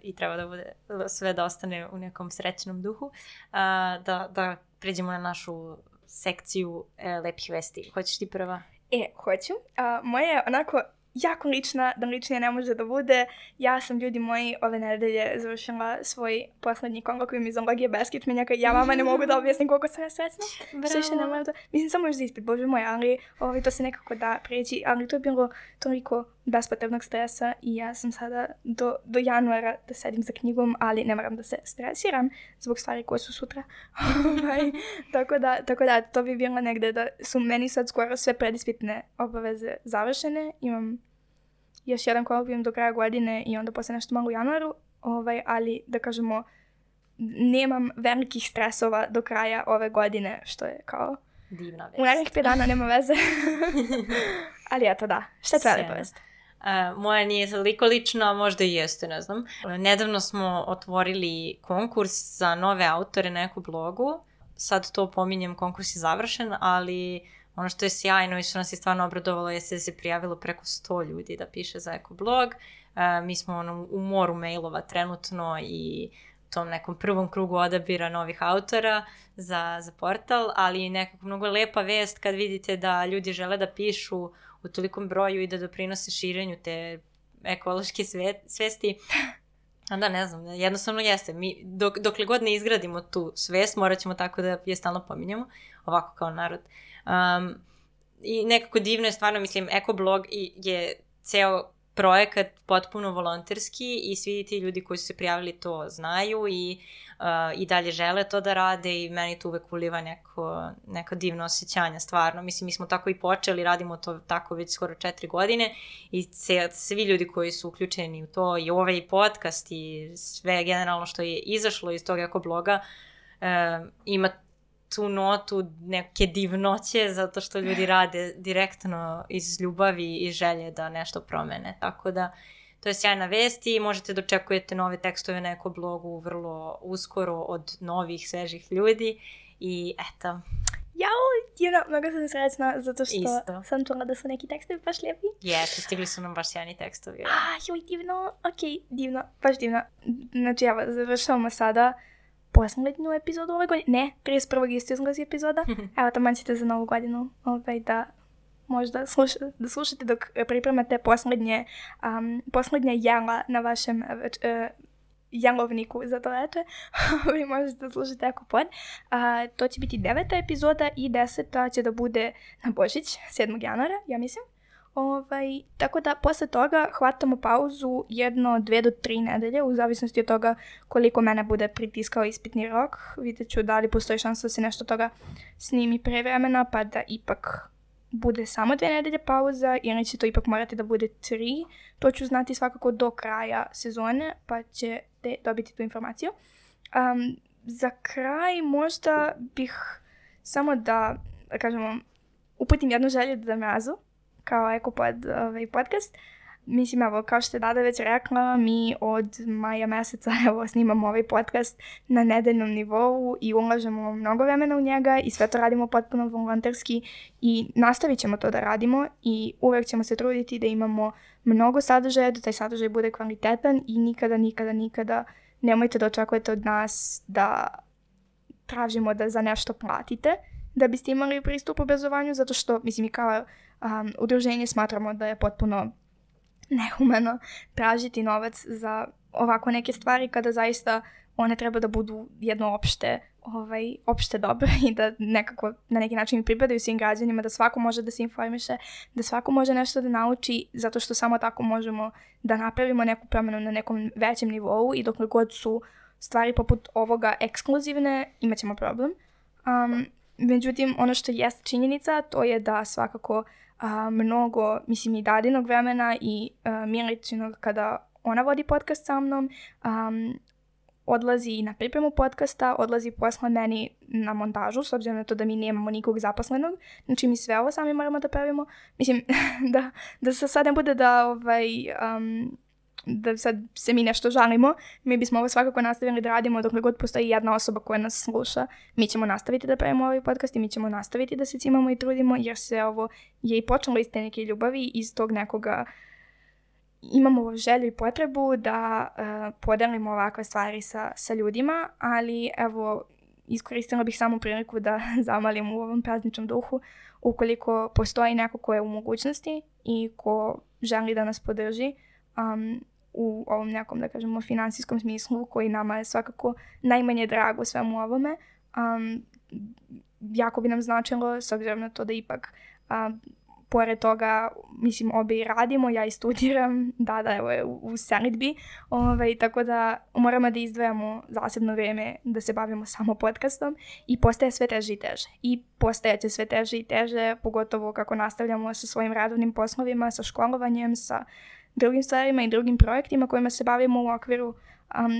i treba da bude sve da ostane u nekom srećnom duhu, da pređemo na našu sekciju lepih vesti. Hoćeš ti prva? Hoću. Moja je onako jako lična, da ličnije ne može da bude. Ja sam, ljudi moji, ove nedelje završila svoj poslednji kolokvijum iz zoologije beskičmenjaka. Ja vama ne mogu da objasnim koliko sam ja srećna. Mislim, samo još za ispit, bože moj, ali to se nekako da preći. Ali to je bilo toliko bespotrebnog stresa i ja sam sada do januara da sedim za knjigom, ali ne moram da se stresiram zbog stvari koje su sutra. Tako da, to bi bilo negde da su meni sad skoro sve predispitne obaveze završene. Imam još jedan kolokvijum do kraja godine i onda posle nešto malo u januaru, ali da kažemo nemam velikih stresova do kraja ove godine, što je kao divna vest. U narednih 5 dana nema veze. Ali eto da, šta je tvoja lepa vest? Moja nije toliko lična, možda i jeste, ne znam. Nedavno smo otvorili konkurs za nove autore na Eko blogu. Sad to pominjem, konkurs je završen, ali ono što je sjajno i što nas je stvarno obradovalo je se prijavilo preko 100 ljudi da piše za Eko blog. Mi smo u moru mailova trenutno i tom nekom prvom krugu odabira novih autora za portal, ali nekako mnogo lepa vest kad vidite da ljudi žele da pišu u tolikom broju i da doprinose širenju te ekološke svesti. Da, ne znam, jednostavno jeste. Mi, dokle god ne izgradimo tu svest, morat ćemo tako da je stalno pominjamo, ovako kao narod. I nekako divno je stvarno, mislim, Ekoblog je ceo projekat potpuno volonterski i svi ti ljudi koji su se prijavili to znaju i dalje žele to da rade i meni to uvek uliva neko divno osjećanje, stvarno. Mislim, mi smo tako i počeli, radimo to tako već skoro 4 godine i svi ljudi koji su uključeni u to i ovaj podcast i sve generalno što je izašlo iz tog Ekobloga ima tu notu neke divnoće zato što ljudi rade direktno iz ljubavi i želje da nešto promene. Tako da to je sjajna vest i možete da očekujete nove tekstove na Ekoblogu vrlo uskoro od novih, svežih ljudi i eto. Jao, mnogo sam srećna zato što sam čula da su neki tekstovi baš lijepi. Jeste, stigli su nam baš sjajni tekstovi. Divno, divno, baš divno. Znači, evo, završavamo sada poslednju epizodu ove godine. Ne, 31. isto izlazi epizoda. Evo, tamo ćete za novu godinu da možda slušate dok pripremate poslednje jela na vašem jelovniku za to veče. Vi možete slušati Ekopod. To će biti 9. epizoda i 10. će da bude na Božić, 7. januara, ja mislim. Tako da posle toga hvatamo pauzu 1, 2 do 3 nedelje u zavisnosti od toga koliko mene bude pritiskao ispitni rok. Vidjet ću da li postoji šansa da se nešto toga snimi pre vremena pa da ipak bude samo 2 nedelje pauza ili će to ipak morati da bude 3. To ću znati svakako do kraja sezone pa ćete dobiti tu informaciju. Za kraj možda bih samo da kažemo uputim jednu želju da Mrazu kao Ekopod podcast, mislim, evo, kao što je Dada već rekla, mi od maja meseca, evo, snimamo ovaj podcast na nedeljnom nivou i ulažemo mnogo vremena u njega i sve to radimo potpuno volonterski i nastavit ćemo to da radimo i uvek ćemo se truditi da imamo mnogo sadržaja, da taj sadržaj bude kvalitetan i nikada nemojte da očekujete od nas da tražimo da za nešto platite da biste imali pristup obrazovanju, zato što, mislim, i kao udruženje smatramo da je potpuno nehumano tražiti novac za ovako neke stvari kada zaista one treba da budu jedno opšte dobro i da nekako na neki način pripadaju svim građanima, da svako može da se informiše, da svako može nešto da nauči, zato što samo tako možemo da napravimo neku promjenu na nekom većem nivou i dokle god su stvari poput ovoga ekskluzivne, imat ćemo problem. Međutim, ono što jest činjenica, to je da svakako mnogo, mislim, i Dadinog vremena i Miličinog kada ona vodi podcast sa mnom, odlazi na pripremu podcasta, odlazi posle meni na montažu, s obzirom na to da mi nemamo nikog zaposlenog, znači mi sve ovo sami moramo da pravimo. Mislim, da se sad ne bude da sad se mi nešto žalimo, mi bismo ovo svakako nastavili da radimo dokle god postoji jedna osoba koja nas sluša. Mi ćemo nastaviti da pravimo ovaj podcast i mi ćemo nastaviti da se cimamo i trudimo, jer se ovo je i počelo iz te neke ljubavi, iz tog nekoga imamo želju i potrebu da podelimo ovakve stvari sa ljudima, ali evo, iskoristila bih samo priliku da zamalim u ovom prazničnom duhu, ukoliko postoji neko ko je u mogućnosti i ko želi da nas podrži u ovom nekom, da kažemo, finansijskom smislu, koji nama je svakako najmanje drago svemu ovome, jako bi nam značilo, s obzirom na to da ipak pored toga, mislim, obje radimo, ja i studiram, da, evo je u selidbi, tako da moramo da izdvajamo zasebno vrijeme da se bavimo samo podcastom i postaje sve teže i teže. I postajeće sve teže i teže, pogotovo kako nastavljamo sa svojim radovnim poslovima, sa školovanjem, sa drugim stvarima i drugim projektima kojima se bavimo u okviru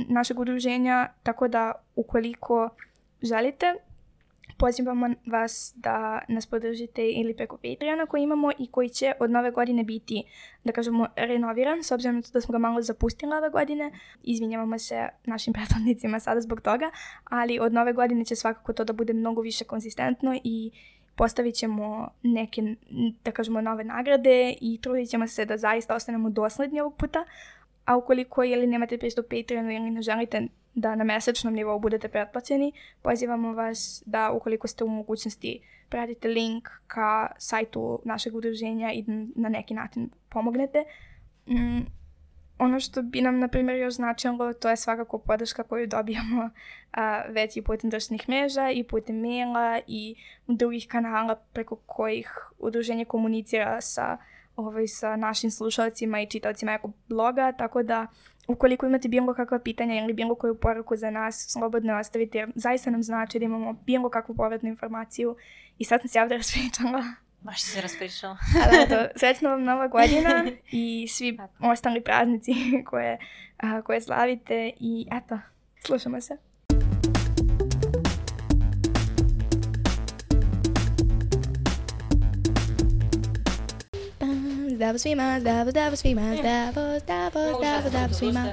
našeg udruženja, tako da ukoliko želite, pozivamo vas da nas podržite ili preko Patreona koji imamo i koji će od nove godine biti, da kažemo, renoviran, s obzirom da smo ga malo zapustili ove godine. Izvinjavamo se našim prethodnicima sada zbog toga, ali od nove godine će svakako to da bude mnogo više konzistentno i postavit ćemo neke, da kažemo, nove nagrade i trudit ćemo se da zaista ostanemo dosledni ovog puta. A ukoliko ili nemate pristup Patreonu ili ne želite da na mesečnom nivou budete pretplaćeni, pozivamo vas da, ukoliko ste u mogućnosti, pratite link ka sajtu našeg udruženja i na neki način pomognete. Ono što bi nam, na primjer, još značilo, to je svakako podrška koju dobijamo već i putem društvenih mreža i putem maila i drugih kanala preko kojih udruženje komunicira sa našim slušalcima i čitaocima jako bloga, tako da ukoliko imate bilo kakva pitanja ili bilo koju poruku za nas, slobodno ostavite, jer zaista nam znači da imamo bilo kakvu povratnu informaciju. I sad sam se ovdje raspričala. Baš si se raspričala. Srećna vam Nova godina i svi ostali praznici koje slavite i eto, slušamo se. Zdravo svima, zdravo svima, zdravo svima.